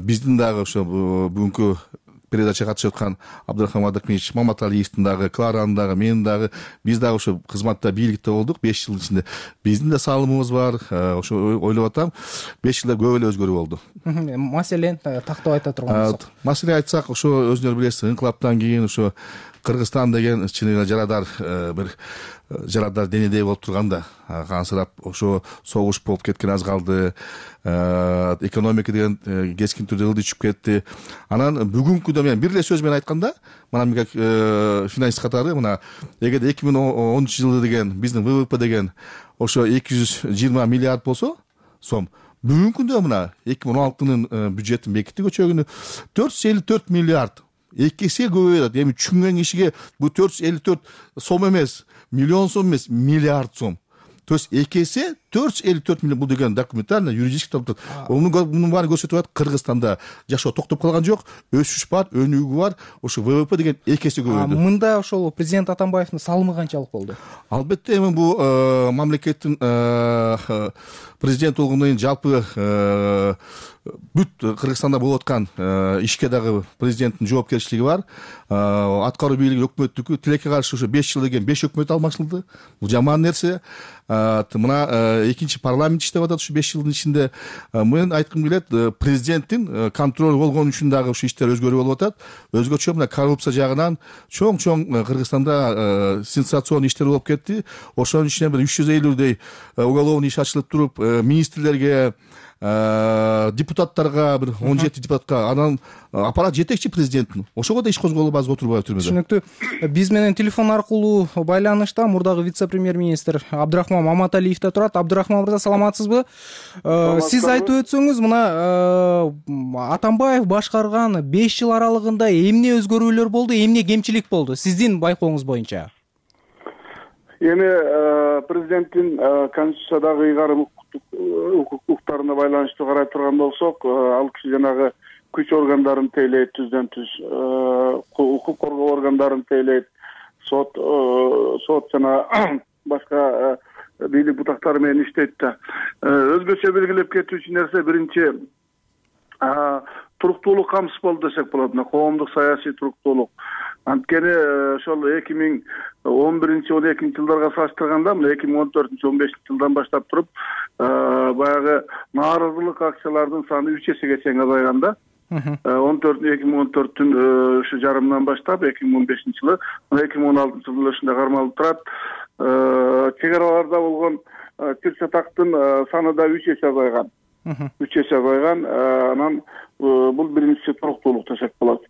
Speaker 20: биздин дагы ошо бүгүнкү передачага катышып аткан Абдырахман Мадакмирович Маматалиевдин дагы, Кларанын дагы, менин дагы, биз дагы ошо кызматта бийликте болдук 5 жылдын ичинде. Биздин да салымыбыз бар. Ошо ойлоп атам, 5 жылда көп эле өзгөрүү болду.
Speaker 19: Маселен тактап айта турган болсок.
Speaker 20: Маселе айтсак, ошо өзүңөр билесиз, инкылаптан кийин ошо Кыргызстан деген чыныгы жарадар бир жарадар денедей болуп турганда, кансырап ошо согуш болуп кеткен аз калды. Экономика деген кескин түрдө ылдый түшүп кетти. Анан бүгүнкүдө мен бир эле сөз менен айтканда, мына как финансист катары мына эгерде 2013 жылы деген биздин ВВП деген ошо 220 миллиард болсо сом, бүгүнкүндө мына 2016-нын бюджетин бекитти көчөгүнү 454 миллиард. 2 эсе көбөйөт. Эми түшүнгөн кишиге бул 454 сом эмес, миллион сом эмес, миллиард сом. То есть 2 эсе 454 миллион, бул деген документально юридически топтот. Мунун баары көрсөтүп атат, Кыргызстанда жашоо токтоп калган жок, өсүш бар, өнүгүү бар. Ошо ВВП деген 2 эсе көбөйдү.
Speaker 19: Мында ошол президент Атамбаевдин салымы канчалык болду?
Speaker 20: Албетте, эми бул мамлекеттин президент болгондон кийин жалпы бүт Кыргызстанда болуп аткан ишке дагы президенттин жоопкерчилиги бар. Аткаруу бийлиги өкмөттүкү тилекке каршы ошо 5 жыл деген 5 өкмөт алмашылды. Бул жаман нерсе. Мына экинчи парламент иштеп атат ушу 5 жылдын ичинде. Мен айткым келет, президенттин контроль болгон үчүн дагы ушу иштер өзгөрүү болуп атат. Өзгөчө мына коррупция жагынан чоң Кыргызстанда сенсационный иштер болуп кетти. Ошонун ичинен бир 350 уголовный иш ачылып туруп, министрлерге, депутаттарга, бир 17 депутатка, анан аппарат жетекчи президенттин. Ошого да иш козголуп аз отурбай түрмөдө.
Speaker 19: Түшүнүктүү. Биз менен телефон аркылуу байланышта мурдагы вице-премьер-министр Абдырахман Маматалиев да турат. Абдырахман мырза, саламатсызбы? Сиз айтып өтсөңүз, мына Атамбаев башкарган 5 жыл аралыгында эмне өзгөрүүлөр болду, эмне кемчилик болду сиздин байкооңуз боюнча?
Speaker 21: Эми президенттин конституциядагы ыйгарым укуктарына байланыштуу карай турган болсок, ал киши жанагы күч органдарын тейлейт, түздөн түз укук коргоо органдарын тейлейт, сот жана башка бийлик бутактары менен иштейт да. Өзгөчө белгилеп кетүүчү нерсе биринчи туруктуулук камсыз болду десек болот. Коомдук саясий туруктуулук. Анткени ошол 2011-12 жылдарга салыштырганда 2014-15 жылдан баштап туруп баягы нааразылык акциялардын саны 3 эсеге чейин азайган да. 2014-түн ушу жарымынан баштап 2015 жылы 2016 жылы ушундай кармалып турат. Чек араларда болгон чыр чатактын саны да 3 эсе азайган. 3 эсе азайган. Анан бул биринчи туруктуулук десек болот.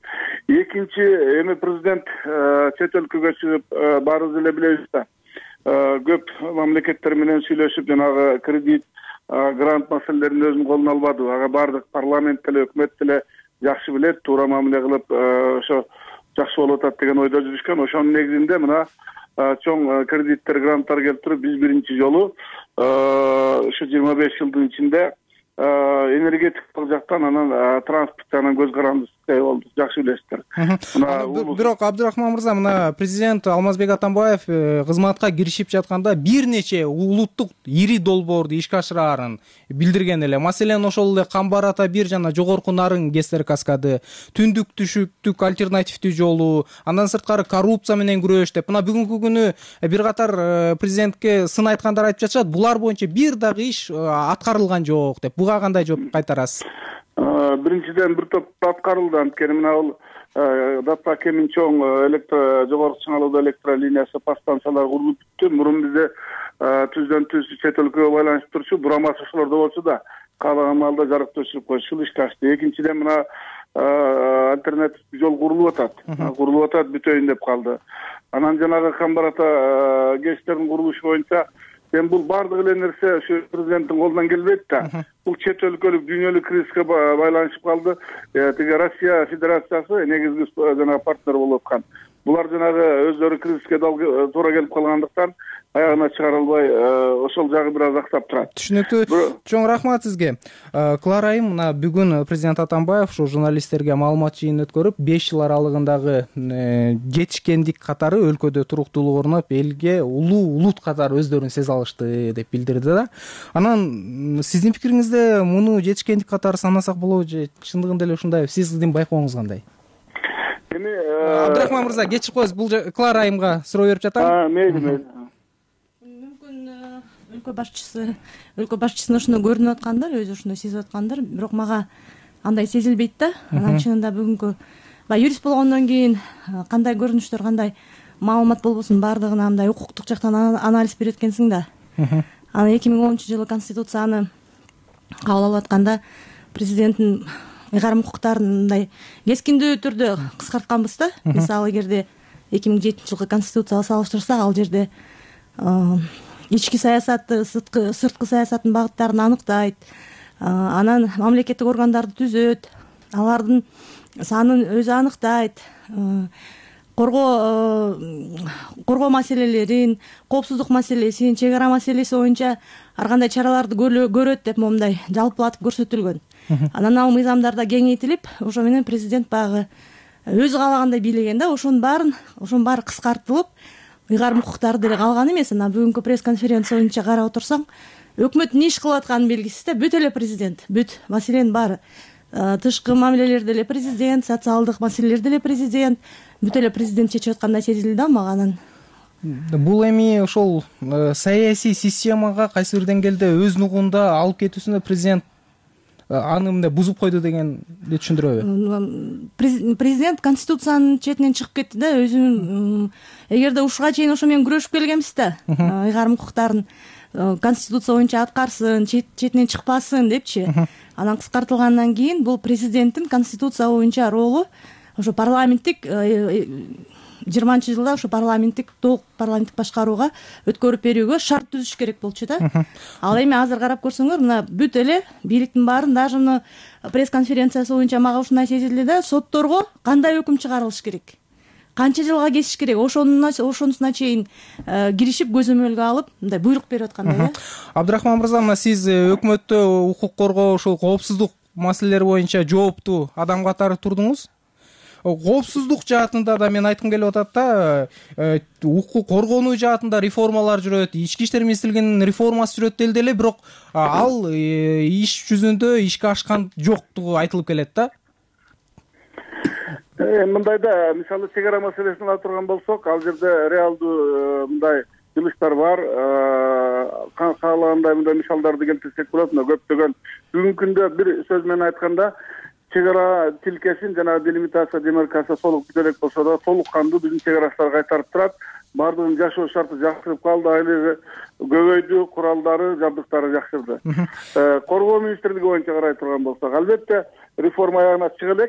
Speaker 21: Экинчи, эми президент чет өлкөгө чыгып баарыбыз эле билебиз да. Көп мамлекеттер менен сүйлөшүп жанагы кредит, грант маселелерин өзүнүн колуна албады. Ага бардык парламент деле, өкмөт деле жакшы билет, туура мамиле кылып, ошо жакшы болуп атат деген ойдо жүрүшкөн. Ошонун негизинде мына чоң кредиттер, гранттар келтирип, биз биринчи жолу ушу 25 жылдын ичинде энергетикалык жактан, анан транспорт жагынан көз карандыбыз болду. Жакшы билесиздер.
Speaker 19: Бирок Абдырахман мырза, мына президент Алмазбек Атамбаев кызматка киришип жатканда бир нече улуттук ири долбоорду ишке ашыраарын билдирген эле. Маселен ошол эле Камбар ата 1 жана Жогорку Нарын ГЭСтер каскады, түндүк түшүктүк альтернативдүү жолу, андан сырткары коррупция менен күрөш деп. Мына бүгүнкү күнү бир катар президентке сын айткандар айтып жатышат. Булар боюнча бир дагы иш аткарылган жок деп. Буга кандай жооп кайтарасыз?
Speaker 21: Биринчиден бир топ аткарылды. Анткени мына бул Датта Кемин чоң жогорку чыңалуудуу электр линиясы, подстанциялар курулуп бүттү. Мурун бизде түздөн түз чет өлкөгө байланышып турчу бурама ошолордо болчу да, каалаган маалда жарык өчүрүп коюшу ишке ашты. Экинчиден мына альтернатив жол курулуп атат, бүтөйүн деп калды. Анан жанагы Камбар ата ГЭСтердин курулушу боюнча бул бардык эле нерсе ушу президенттин колунан келбейт да. Бул чет өлкөлүк дүйнөлүк кризиске байланышып калды. Тиги Россия Федерациясы негизги жанагы партнер болуп аткан. Булар жанагы өздөрү кризиске туура келип калгандыктан аягына чыгара албай, ошол жагы бир аз актап турат.
Speaker 19: Түшүнүктүү. Чоң рахмат сизге. Клара айым, мына бүгүн президент Атамбаев ошо журналисттерге маалымат жыйынын өткөрүп, 5 жыл аралыгындагы жетишкендик катары өлкөдө туруктуулук орноп, элге улуу улут катары өздөрүн сезе алышты деп билдирди да. Анан сиздин пикириңизде муну жетишкендик катары санасак болобу же чындыгында эле ушундай? Сиздин байкооңуз кандай?
Speaker 21: Эми
Speaker 19: Абдырахман мырза, кечирип коесуз, бул Клара айымга суроо берип жатам.
Speaker 21: Мейли.
Speaker 7: Өлкө башчысына ушуну көрүнүп аткандар, өзү ушуну сезип аткандар, бирок мага андай сезилбейт да. Анан чынында бүгүнкү юрист болгондон кийин кандай көрүнүштөр, кандай маалымат болбосун баардыгына андай укуктук жактан анализ берет экенсиң да. Анан 2010-жылы конституцияны кабыл алып атканда президенттин ыйгарым укуктарын мындай кескиндүү түрдө кыскартканбыз да. Мисалы, эгерде 2007-жылкы конституцияга салыштырсак, ал жерде ички саясатты, сырткы саясаттын багыттарын аныктайт. Анан мамлекеттик органдарды түзөт, алардын санын өзү аныктайт. Коргоо маселелерин, коопсуздук маселесин, чек ара маселеси боюнча ар кандай чараларды көрөт деп момундай жалпылатып көрсөтүлгөн. Анан ал мыйзамдарда кеңейтилип, ошо менен президент багы өзү каалагандай бийлеген да. Ошонун баары кыскартылып, ыйгарым укуктары деле калган эмес. Анан бүгүнкү пресс-конференция боюнча карап отурсаң, өкмөт эмне иш кылып атканын белгисиз да. Бүт эле президент, маселенин баары. Тышкы мамилелерде эле президент, социалдык маселелерде эле президент, бүт эле президент чечип аткандай сезилди да мага. Анан
Speaker 19: бул эми ошол саясий системага кайсы бир деңгээлде өз нугунда алып кетүүсүндө президент аны мындай бузуп койду дегенди түшүндүрөбү?
Speaker 7: Президент конституциянын четинен чыгып кетти да. Өзүнүн эгерде ушуга чейин ошо менен күрөшүп келгенбиз да. Ыйгарым укуктарын конституция боюнча аткарсын, четинен чыкпасын депчи. Анан кыскартылгандан кийин бул президенттин конституция боюнча ролу ошо парламенттик 20-жылда ошо толук парламенттик башкарууга өткөрүп берүүгө шарт түзүш керек болчу да. Ал эми азыр карап көрсөңөр, мына бүт эле бийликтин баарын, даже мына пресс-конференциясы боюнча мага ушундай сезилди да. Сотторго кандай өкүм чыгарылыш керек, канча жылга кесиш керек, ошонусуна чейин киришип көзөмөлгө алып мындай буйрук берип аткандай да.
Speaker 19: Абдырахман мырза, мына сиз өкмөттө укук коргоо, ошол коопсуздук маселелери боюнча жооптуу адам катары турдуңуз. коопсуздук жаатында да мен айткым келип атат да, укук коргонуу жаатында реформалар жүрөт, ички иштер министрлигинин реформасы жүрөт делди эле, бирок ал иш жүзүндө ишке ашкан жоктугу айтылып келет да.
Speaker 21: Мындайда мисалы чек ара маселесин алып турган болсок, ал жерде реалдуу мындай жылыштар бар. Каалагандай мындай мисалдарды келтирсек болот. Көптөгөн бүгүнкү күндө бир сөз менен айтканда чек ара тилкесин жанагы делимитация, демаркация толук бүтө элек болсо да толук кандуу биздин чек арачылар кайтарып турат. Бардыгынын жашоо шарты жакшырып калды, айлыгы көбөйдү, куралдары, жабдыктары жакшырды. Коргоо министрлиги боюнча карай турган болсок, албетте реформа аягына чыга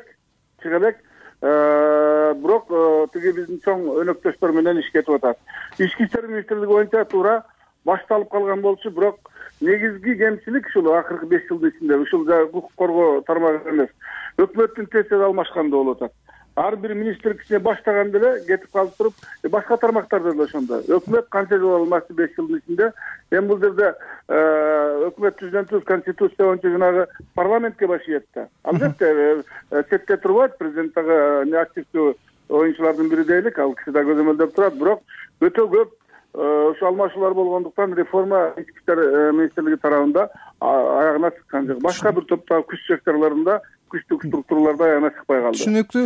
Speaker 21: элек. Бирок тиги биздин чоң өнөктөштөр менен иш кетип атат. Ички иштер министрлиги боюнча туура башталып калган болчу, бирок негизги кемчилик ушул акыркы 5 жылдын ичинде ушул укук коргоо тармагы эмес, өкмөттүн тез алмашканда болуп атат. Ар бир министр кичине баштаганда эле кетип калып туруп, башка тармактарда да ошондой. Өкмөт канча жыл алмашты 5 жылдын ичинде. Эми бул жерде өкмөт түзүлөт, конституция боюнча жанагы парламентке баш ийет да. Албетте четте турбайт, президент дагы активдүү оюнчулардын бири дейлик, ал киши да көзөмөлдөп турат, бирок өтө көп ошо алмашуулар болгондуктан реформа ички иштер министрлиги тарабында аягына чыккан жок. Башка бир топтогу күч секторлорунда, күчтүк структураларда аягына чыкпай калды.
Speaker 19: Түшүнүктүү.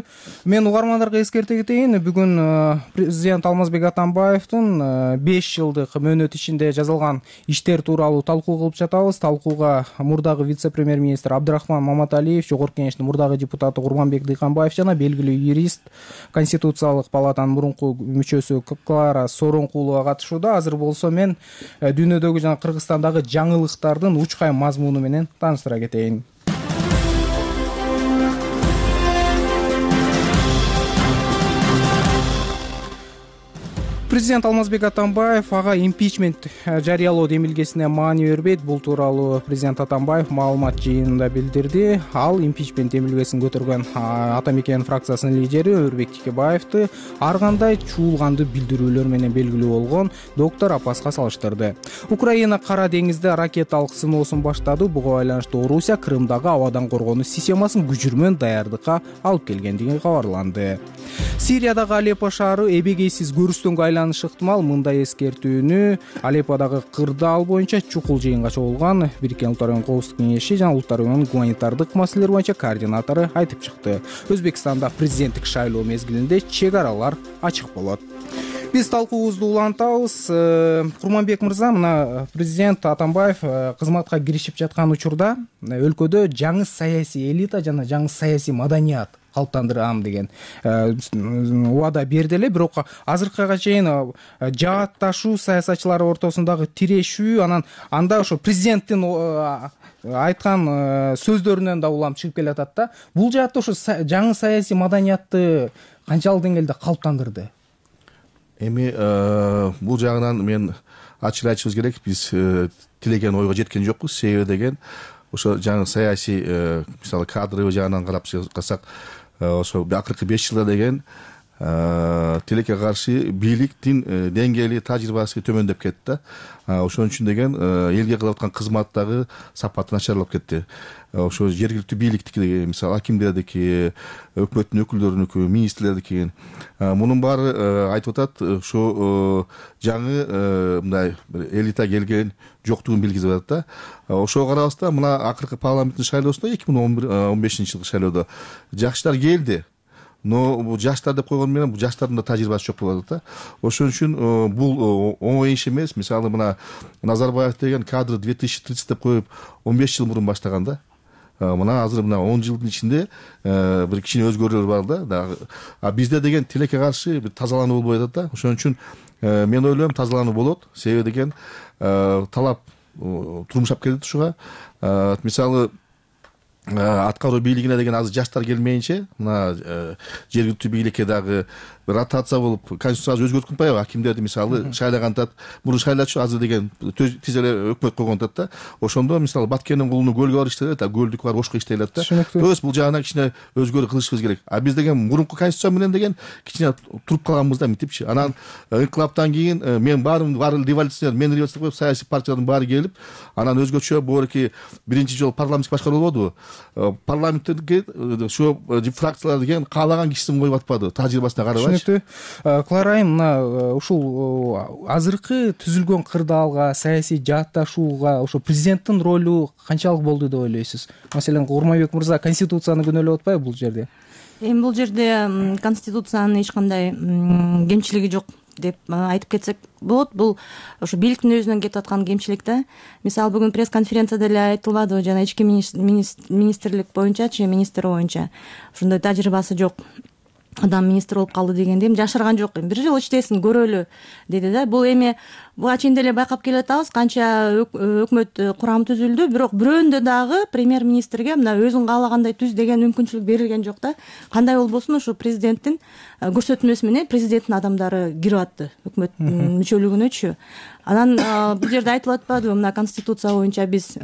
Speaker 19: Мен угармандарга эскерте кетейин. Бүгүн президент Алмазбек Атамбаевдин 5 жылдык мөөнөт ичинде жазылган иштер тууралуу талкуу кылып жатабыз. Талкууга мурдагы вице-премьер-министр Абдрахман Маматалиев, Жогорку Кеңештин мурдагы депутаты Курманбек Дыйканбаев жана белгилүү юрист, Конституциялык палатанын мурунку мүчөсү Клара Соронкулова катышууда. Азыр болсо мен дүйнөдөгү жана Кыргызстандагы жаңылыктардын учкай мазмуну менен тааныштыра кетейин. Президент Алмазбек Атамбаев ага импичмент жарыялоо демилгесине маани бербейт. Бул тууралуу президент Атамбаев маалымат жыйынында билдирди. Ал импичмент демилгесин көтөргөн Ата Мекен фракциясынын лидери Өрбек Тикебаевди ар кандай чуулгандуу билдирүүлөр менен белгилүү болгон доктор Апаска салыштырды. Украина Кара деңизде ракеталык сыноосун баштады. Буга байланыштуу Орусия Крымдагы абадан коргонуу системасын күчүрмөн даярдыкка алып келгендиги кабарланды. Сириядагы Алеппо шаары эбегейсиз көрүстөнгө айланышы ыктымал. Мындай эскертүүнү Алепподагы кырдаал боюнча чукул жыйынга чогулган Бириккен Улуттар Уюмунун Коопсуздук кеңеши жана Улуттар Уюмунун гуманитардык маселелер боюнча координатору айтып чыкты. Өзбекстанда президенттик шайлоо мезгилинде чек аралар ачык болот. Биз талкуубузду улантабыз. Курманбек мырза, мына президент Атамбаев кызматка киришип жаткан учурда өлкөдө жаңы саясий элита жана жаңы саясий маданият калыптандырам деген убада берди эле, бирок азыркыга чейин жаатташуу саясатчылар ортосундагы тирешүү, анда ошо президенттин айткан сөздөрүнөн да улам чыгып келатат да. Бул жаатта ошо жаңы саясий маданиятты канчалык деңгээлде калыптандырды?
Speaker 20: Эми бул жагынан мен ачык айтышыбыз керек, биз тилеген ойго жеткен жокпуз. Себеби деген ошо жаңы саясий мисалы кадровый жагынан карап чыксак, ошо акыркы 5 жылда деген тилекке каршы бийликтин деңгээли, тажрыйбасы төмөндөп кетти да. Ошон үчүн деген элге кылып аткан кызматтагы сапаты начарлап кетти. Ошо жергиликтүү бийликтики, мисалы акимдердики, өкмөттүн өкүлдөрүнүкү, министрлердики, мунун баары айтып атат, ошо жаңы мындай элита келген жоктугун билгизип атат да. Ошого карабастан мына акыркы парламенттин шайлоосунда 2015 жылкы шайлоодо жаштар келди. Но бул жаштар деп койгон менен бул жаштардын да тажрыйбасы жок болуп атат да. Ошон үчүн бул оңой иш эмес. Мисалы мына Назарбаев деген кадры 2030 деп коюп 15 жыл мурун баштаган да. Мына азыр мына 10 жылдын ичинде бир кичине өзгөрүүлөр бар да. А бизде деген тилекке каршы бир тазалануу болбой атат да. Ошон үчүн мен ойлойм тазалануу болот. Себеби деген талап турмушап келет ушуга. Мисалы аткаруу бийлигине деген азыр жаштар келмейинче, мына жергиликтүү бийликке дагы ротация болуп конституцияны өзгөртүп атпайбы? Акимдерди мисалы шайлаган атат, мурун шайлачу, азыр деген тиз эле өкмөт койгон атат да. Ошондо мисалы Баткендин кулуну көлгө барып иштелет, көлдүк бар ошко иштелет да. То есть бул жагынан кичине өзгөрүү кылышыбыз керек. А биз деген мурунку конституция менен деген кичине туруп калганбыз да, митипчи. Анан инкылаптан кийин мен баары революционер, мен революционер коюп саясий партиялардын баары келип, анан өзгөчө борки биринчи жолу парламенттик башкаруу болбодубу? парламентке ошо фракциялар деген каалаган кишисин коюп атпады тажрыйбасына карабайчы.
Speaker 19: Түшүнүктүү. Клара айым, мына ушул азыркы түзүлгөн кырдаалга, саясий жаатташууга ошо президенттин ролу канчалык болду деп ойлойсуз? Маселен, Курманбек мырза конституцияны күнөөлөп атпайбы бул жерде?
Speaker 7: Эми бул жерде конституциянын эч кандай кемчилиги жок деп айтып кетсек болот. Бул ошо бийликтин өзүнөн кетип аткан кемчилик да. Мисалы бүгүн пресс-конференцияда эле айтылбадыбы, жана ички министрлик боюнчачы, министр боюнча ошондой тажрыйбасы жок адам министр болуп калды дегенде эми жашырган жок. Бир жыл иштесин, көрөлү деди да. Бул эми буга чейин деле байкап келатабыз, канча өкмөт курамы түзүлдү, бирок бирөөндө дагы премьер-министрге мына өзүң каалагандай түз деген мүмкүнчүлүк берилген жок да. Кандай болбосун ошо президенттин көрсөтмөсү менен президенттин адамдары кирип атты өкмөт мүчөлүгүнөчү. Анан бул жерде айтылып атпадыбы, мына конституция боюнча биз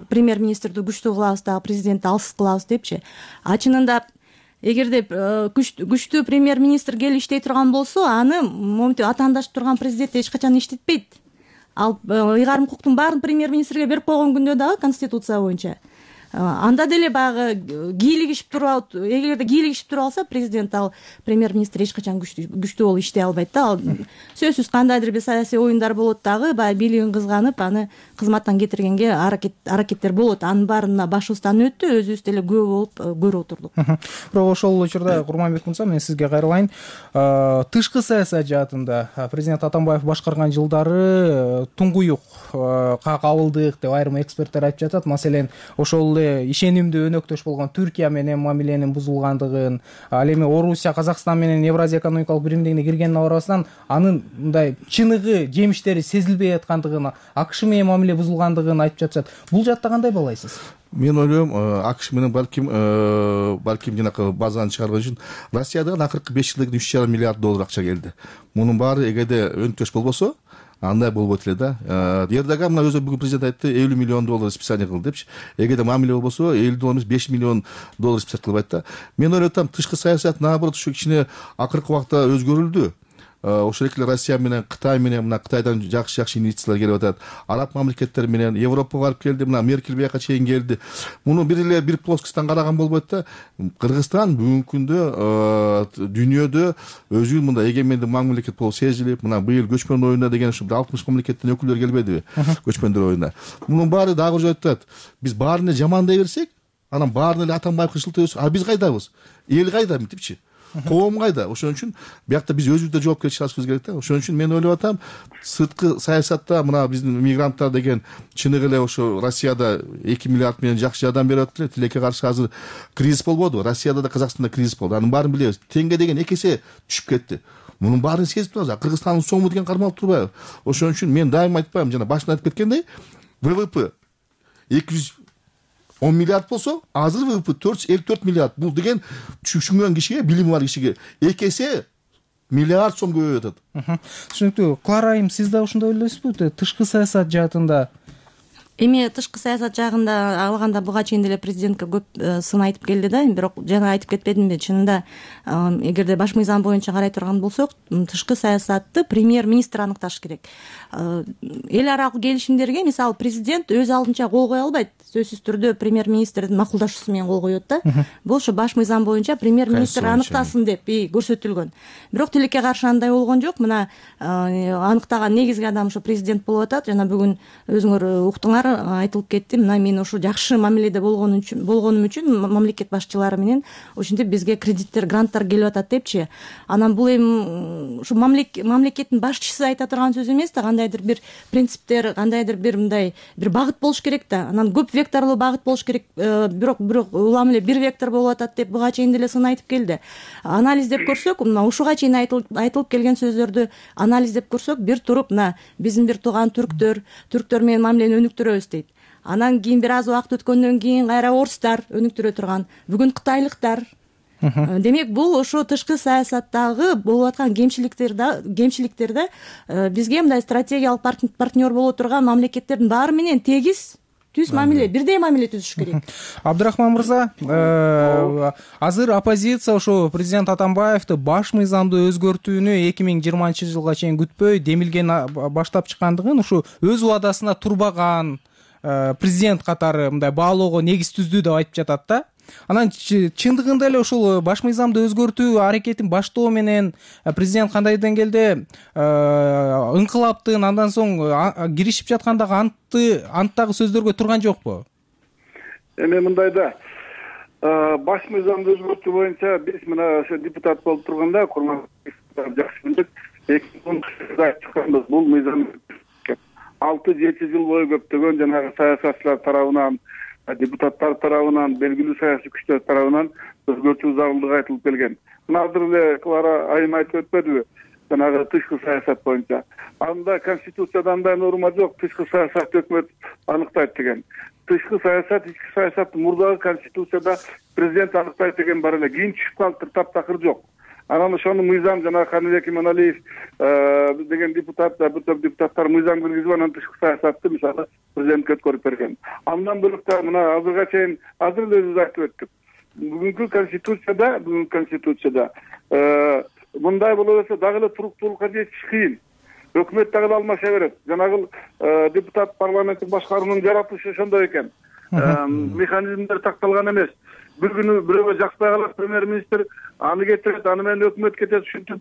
Speaker 7: премьер-министрди күчтүү кылабыз дагы президентти алсыз кылабыз депчи. Чынында эгерде күчтүү премьер-министр келип иштей турган болсо, аны моминтип атаандашып турган президент эч качан иштетпейт. Ал ыйгарым укуктун баарын премьер-министрге берип койгон күндө дагы конституция боюнча анда деле баягы кийлигишип туруп, эгерде кийлигишип туруп алса президент, ал премьер-министр эч качан күчтүү болуп иштей албайт да. Ал сөзсүз кандайдыр бир саясий оюндар болот дагы, баягы бийлигин кызганып, аны кызматтан кетиргенге аракеттер болот. Анын баарына башыбыздан өттү, өзүбүз деле күбө болуп көрүп отурдук.
Speaker 19: Бирок ошол учурда Курманбек мырза, мен сизге кайрылайын. Тышкы саясат жаатында президент Атамбаев башкарган жылдары туңгуюк кабылдык деп айрым эксперттер айтып жатат. Маселен, ошол ишенимдүү өнөктөш болгон Түркия менен мамиленин бузулгандыгын, ал эми Орусия, Казакстан менен Евразия экономикалык биримдигине киргенине карабастан, анын мындай чыныгы жемиштери сезилбей аткандыгын, АКШ менен мамиле бузулгандыгын айтып жатышат. Бул жакта кандай баалайсыз?
Speaker 20: Мен ойлойм, АКШ менен балким жанакы базаны чыгарган үчүн Россиядан акыркы 5 жылда $3,5 миллиард акча келди. Мунун баары эгерде өнөктөш болбосо, андай болбойт эле да. Эрдоган мына өзү бүгүн президент айтты, $50 миллион списание кылды депчи. Эгерде мамиле болбосо, $50 эмес, $5 миллион списание кылбайт да. Мен ойлойм, тышкы саясат наоборот ушу кичине акыркы убакта өзгөрүлдү. Ошол эле Россия менен Кытай менен, мына Кытайдан жакшы инвестициялар келип атат. Араб мамлекеттери менен Европага барып келди, мына Меркель бияка чейин келди. Муну бир плоскостьтан караган болбойт да. Кыргызстан бүгүнкү күндө дүйнөдө өзүн мындай эгемендик мамлекет болуп сезилип, мына быйыл көчмөн оюна деген ушу 60 мамлекеттин өкүлдөрү келбедиби? Көчмөндөр оюна. Мунун баары дагы бир айтат. Биз баарына жамандай берсек, анан баарына эле Атамбаевге шылтабыз. А биз кайдабыз? Эл кайда мынтипчи? Коом кайда? Ошон үчүн биякта биз өзүбүздө жоопкерчилик алышыбыз керек да. Ошон үчүн мен ойлоп атам, сырткы саясатта мына биздин мигранттар деген чыныгы эле ошо Россияда 2 миллиард менен жакшы жардам берип атты. Тилекке каршы азыр кризис болбоду. Россияда да, Казакстанда кризис болду. Анын баарын билебиз. Теңге деген 2 эсе түшүп кетти. Мунун баарын сезип турабыз. Кыргызстандын сому деген кармалып турбайбы? Ошон үчүн мен дайыма айтпайм, жана башында айтып кеткендей, ВВП 210 миллиард болсо, азыр ВВП 454 миллиард. Бул деген түшүнгөн кишиге, билими бар кишиге 2 эсе миллиард сом көбөйүп атат.
Speaker 19: Түшүнүктүү. Клара айым, сиз да ошондой ойлойсузбу? Тышкы саясат жаатында
Speaker 7: Эми тышкы саясат жагында алганда буга чейин деле президентке көп сын айтып келди да, бирок жана айтып кетпедимби, чынында эгерде баш мыйзам боюнча карай турган болсок, тышкы саясатты премьер-министр аныкташ керек. Эл аралык келишимдерге мисалы президент өз алдынча кол кое албайт. Сөзсүз түрдө премьер-министрдин макулдашуусу менен кол коет да. Бул ошо баш мыйзам боюнча премьер-министр аныктасын деп көрсөтүлгөн. Бирок тилекке каршы андай болгон жок. Мына аныктаган негизги адам ошо президент болуп атат. Жана бүгүн өзүңөр уктуңар, айтылып кетти. Мына мен ошо жакшы мамиледе болгонум үчүн мамлекет башчылары менен ошентип бизге кредиттер, гранттар келип атат депчи. Анан бул эми ушу мамлекеттин башчысы айта турган сөз эмес да, кандайдыр бир принциптер, кандайдыр бир мындай бир багыт болуш керек да. Анан көп векторлуу багыт болуш керек. Бирок улам эле бир вектор болуп атат деп буга чейин деле сын айтып келди. Анализдеп көрсөк, мына ушуга чейин айтылып келген сөздөрдү анализдеп көрсөк, бир туруп мына биздин бир тууган түрктөр менен мамилени өнүктүрөбүз дейт. Анан кийин бир аз убакыт өткөндөн кийин кайра орустар өнүктүрө турган, бүгүн кытайлыктар. Демек, бул ошо тышкы саясаттагы болуп аткан кемчиликтерде бизге мындай стратегиялык партнер боло турган мамлекеттердин баары менен тегиз түз мамиле, бирдей мамиле түзүш керек.
Speaker 19: Абдрахман мырза, азыр оппозиция ошо президент Атамбаевди баш мыйзамды өзгөртүүнү 2020 жылга чейин күтпөй демилген баштап чыккандыгын, ушу өз убадасына турбаган, президент катары мындай баалоого негиз түздү деп айтып жатат да. Анан чындыгында эле ушул баш мыйзамды өзгөртүү аракетин баштоо менен президент кандай деңгээлде ыңкылаптын андан соң киришип жаткандагы анттагы сөздөргө турган жокпу?
Speaker 21: Эми мындай да, баш мыйзамды өзгөртүү боюнча биз мына ошо депутат болуп турганда жакшы билдик. 2010 чыкканбыз бул мыйзам 6-7 жыл бою көптөгөн жанагы саясатчылар тарабынан, депутаттар тарабынан, белгилүү саясий күчтөр тарабынан өзгөртүү зарылдыгы айтылып келген. Мына азыр эле Клара айым айтып өтпөдүбү? Жанагы тышкы саясат боюнча. Анда конституцияда андай норма жок, тышкы саясат өкмөт аныктайт деген. Тышкы саясат, ички саясатты мурдагы конституцияда президент аныктайт деген бар эле. Кийин түшүп калыптыр, таптакыр жок. Анан ошону мыйзам жана Каныбек Иманалиев деген депутат, бүтөк депутаттар мыйзам киргизип, анан тышкы саясатты мисалы президентке өткөрүп берген. Андан бөлөк да мына азырга чейин азыр эле өзүбүз айтып өттүк. Бүгүнкү конституцияда мындай боло берсе дагы эле туруктуулукка жетиш кыйын. Өкмөт дагы алмаша берет. Жанагы депутат парламенттик башкаруунун жаратылышы ошондой экен. Механизмдер такталган эмес. Bir günü biröөгө жакпай калат премьер-министр, аны кетирет, аны менен өкмөт кетет, ушинтип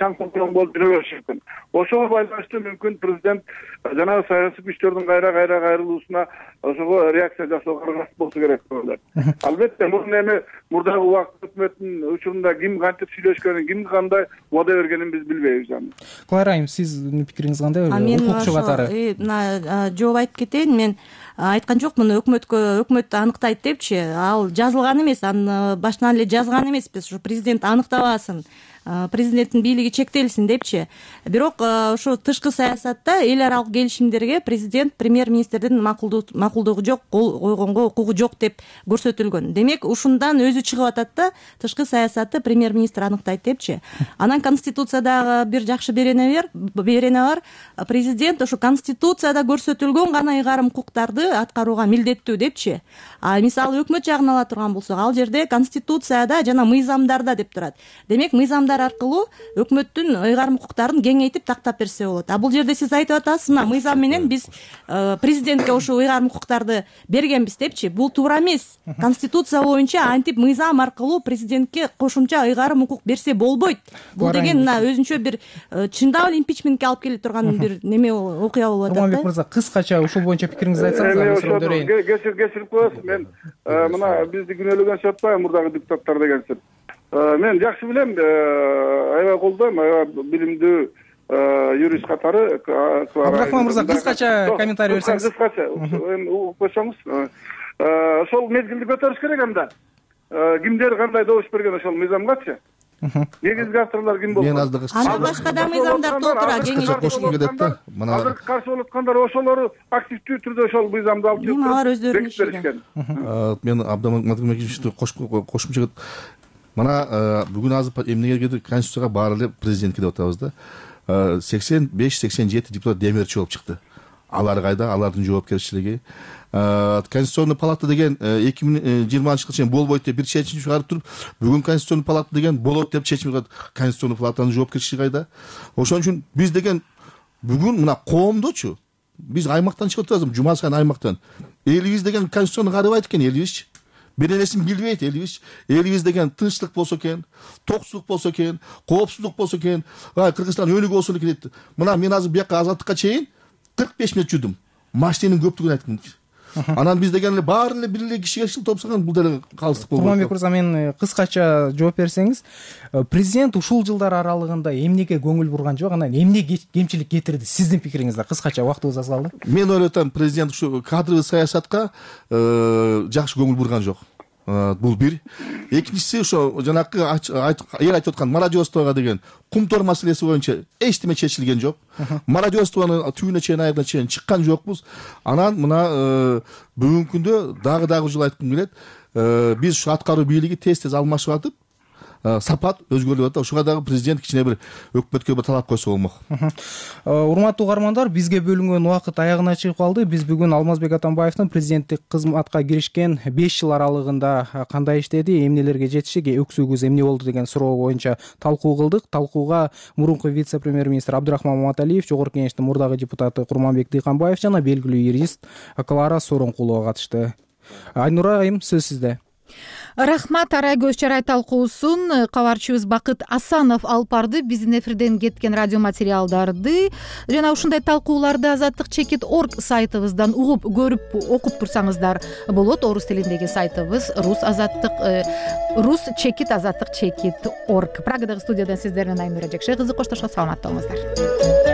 Speaker 21: чаң тоң болуп жүрө бериши мүмкүн. Ошого байланыштуу мүмкүн президент жанагы саясий күчтөрдүн кайра кайрылуусуна ошого реакция жасоого аргасыз болсо керек деп ойлойм. Албетте, муну эми мурдагы убакыт өкмөттүн учурунда ким кантип сүйлөшкөнүн, ким кандай убада бергенин биз билбейбиз аны.
Speaker 19: Клара айым, сиздин пикириңиз кандай? Укукчу катары.
Speaker 7: Мына жооп айтып кетейин, мен айткан жокмун, өкмөт аныктайт депчи. Ал жазылган эмес, аны башынан эле жазган эмеспиз. Ушу президент аныктабасын, президенттин бийлиги чектелсин депчи. Бирок ошо тышкы саясатта эл аралык келишимдерге президент премьер-министрдин макулдугу жок, кол койгонго укугу жок деп көрсөтүлгөн. Демек, ушундан өзү чыгып атат да, тышкы саясатты премьер-министр аныктайт депчи. Анан конституциядагы бир жакшы берене бар. Президент ошо конституцияда көрсөтүлгөн гана ыйгарым укуктарды аткарууга милдеттүү депчи. Мисалы өкмөт жагын ала турган болсок, ал жерде конституцияда жана мыйзамдарда деп турат. Демек, мыйзамдар аркылуу өкмөттүн ыйгарым укуктарын кеңейтип тактап берсе болот. Бул жерде сиз айтып атасыз, мына мыйзам менен биз президентке ошо ыйгарым укуктарды бергенбиз депчи. Бул туура эмес. Конституция боюнча антип мыйзам аркылуу президентке кошумча ыйгарым укук берсе болбойт. Бул деген мына өзүнчө бир чындап эле импичментке алып келе турган бир неме окуя болуп атат да.
Speaker 19: Курманбек мырза, кыскача ушул боюнча пикириңизди айтсаңыз,
Speaker 21: кечирип коесуз. Мен мына бизди күнөөлөгөн атпайм, мурдагы депутаттар дегенсип. Мен жакшы билем, аябай колдойм, аябай билимдүү юрист катары.
Speaker 19: Абдрахман мырза, кыскача комментарий берсеңиз.
Speaker 21: Кыскача, койсоңуз. Ошол мезгилди көтөрүш керек анда. Кимдер кандай добуш берген ошол мыйзамгачы? Негизги авторлор ким болду?
Speaker 7: Анда башка да мыйзамдар толтура,
Speaker 20: кошкум келет да.
Speaker 21: Азыр каршы болуп аткандар ошолору активдүү түрдө ошол мыйзамды алып чыгып,
Speaker 7: алар өздөрүнүн иши.
Speaker 20: Мен Абдамакимовичти кошумча мына бүгүн азыр эмнеге конституцияга баары эле президентке деп атабыз да. 85-87 депутат демерчи болуп чыкты. Алар кайда? Алардын жоопкерчилиги. Конституционный палата деген 2020 жылга чейин болбойт деп бир чечим чыгарып туруп, бүгүн конституционный палата деген болот деп чечим чыгат. Конституционный палатанын жоопкерчилиги кайда? Ошон үчүн биз деген бүгүн мына коомдочу биз аймактан чыгып турабыз, жума сайын аймактан. Элибиз деген конституцияны карабайт экен, элибизчи. Бир нерсени билбейт элибиз. Элибиз деген тынчтык болсо экен, токсуздук болсо экен, коопсуздук болсо экен, Кыргызстан өнүгүү болсо экен дейт. Мына мен азыр бияка азаттыкка чейин 45 мүнөт жүрдүм. Машинанын көптүгүн айткым. Анан биз деген эле баары эле бир эле кишиге шыл топсогон бул деле калыстык болот.
Speaker 19: Курманбек мырза, мен кыскача жооп берсеңиз, президент ушул жылдар аралыгында эмнеге көңүл бурган жок, анан эмне кемчилик кетирди? Сиздин пикириңизде кыскача, убактыбыз аз калды.
Speaker 20: Мен ойлойт атам, президент ушу кадровый саясатка жакшы көңүл бурган жок. Бул бир. Экинчиси ошо жанакы эл айтып аткан мародерствого деген кумтор маселеси боюнча эчтеме чечилген жок. Мародерствонун түбүнө чейин, аягына чейин чыккан жокпуз. Анан мына бүгүнкү күндө дагы жыл айткым келет. Биз ушу аткаруу бийлиги тез алмашып атып, сапат өзгөрүп атат. Ушуга дагы президент кичине бир өкмөткө бир талап койсо болмок.
Speaker 19: Урматтуу угармандар, бизге бөлүнгөн убакыт аягына чыгып калды. Биз бүгүн Алмазбек Атамбаевдин президенттик кызматка киришкен 5 жыл аралыгында кандай иштеди, эмнелерге жетиши, өксүгүбүз эмне болду деген суроо боюнча талкуу кылдык. Талкууга мурунку вице-премьер-министр Абдырахман Маматалиев, Жогорку Кеңештин мурдагы депутаты Курманбек Дыйканбаев жана белгилүү юрист Клара Сооронкулова катышты. Айнура айым, сөз сизде.
Speaker 1: Рахмат. Арай көз чарай талкуусун кабарчыбыз Бакыт Асанов алып барды. Биздин эфирден кеткен радио материалдарды жана ушундай талкууларды azatlyk.org сайтыбыздан угуп, көрүп, окуп турсаңыздар болот. Орус тилиндеги сайтыбыз rus-azatlyk.org. Прагадагы студиядан сиздер менен Айнура Жекше кызы коштошот. Саламатта болуңуздар.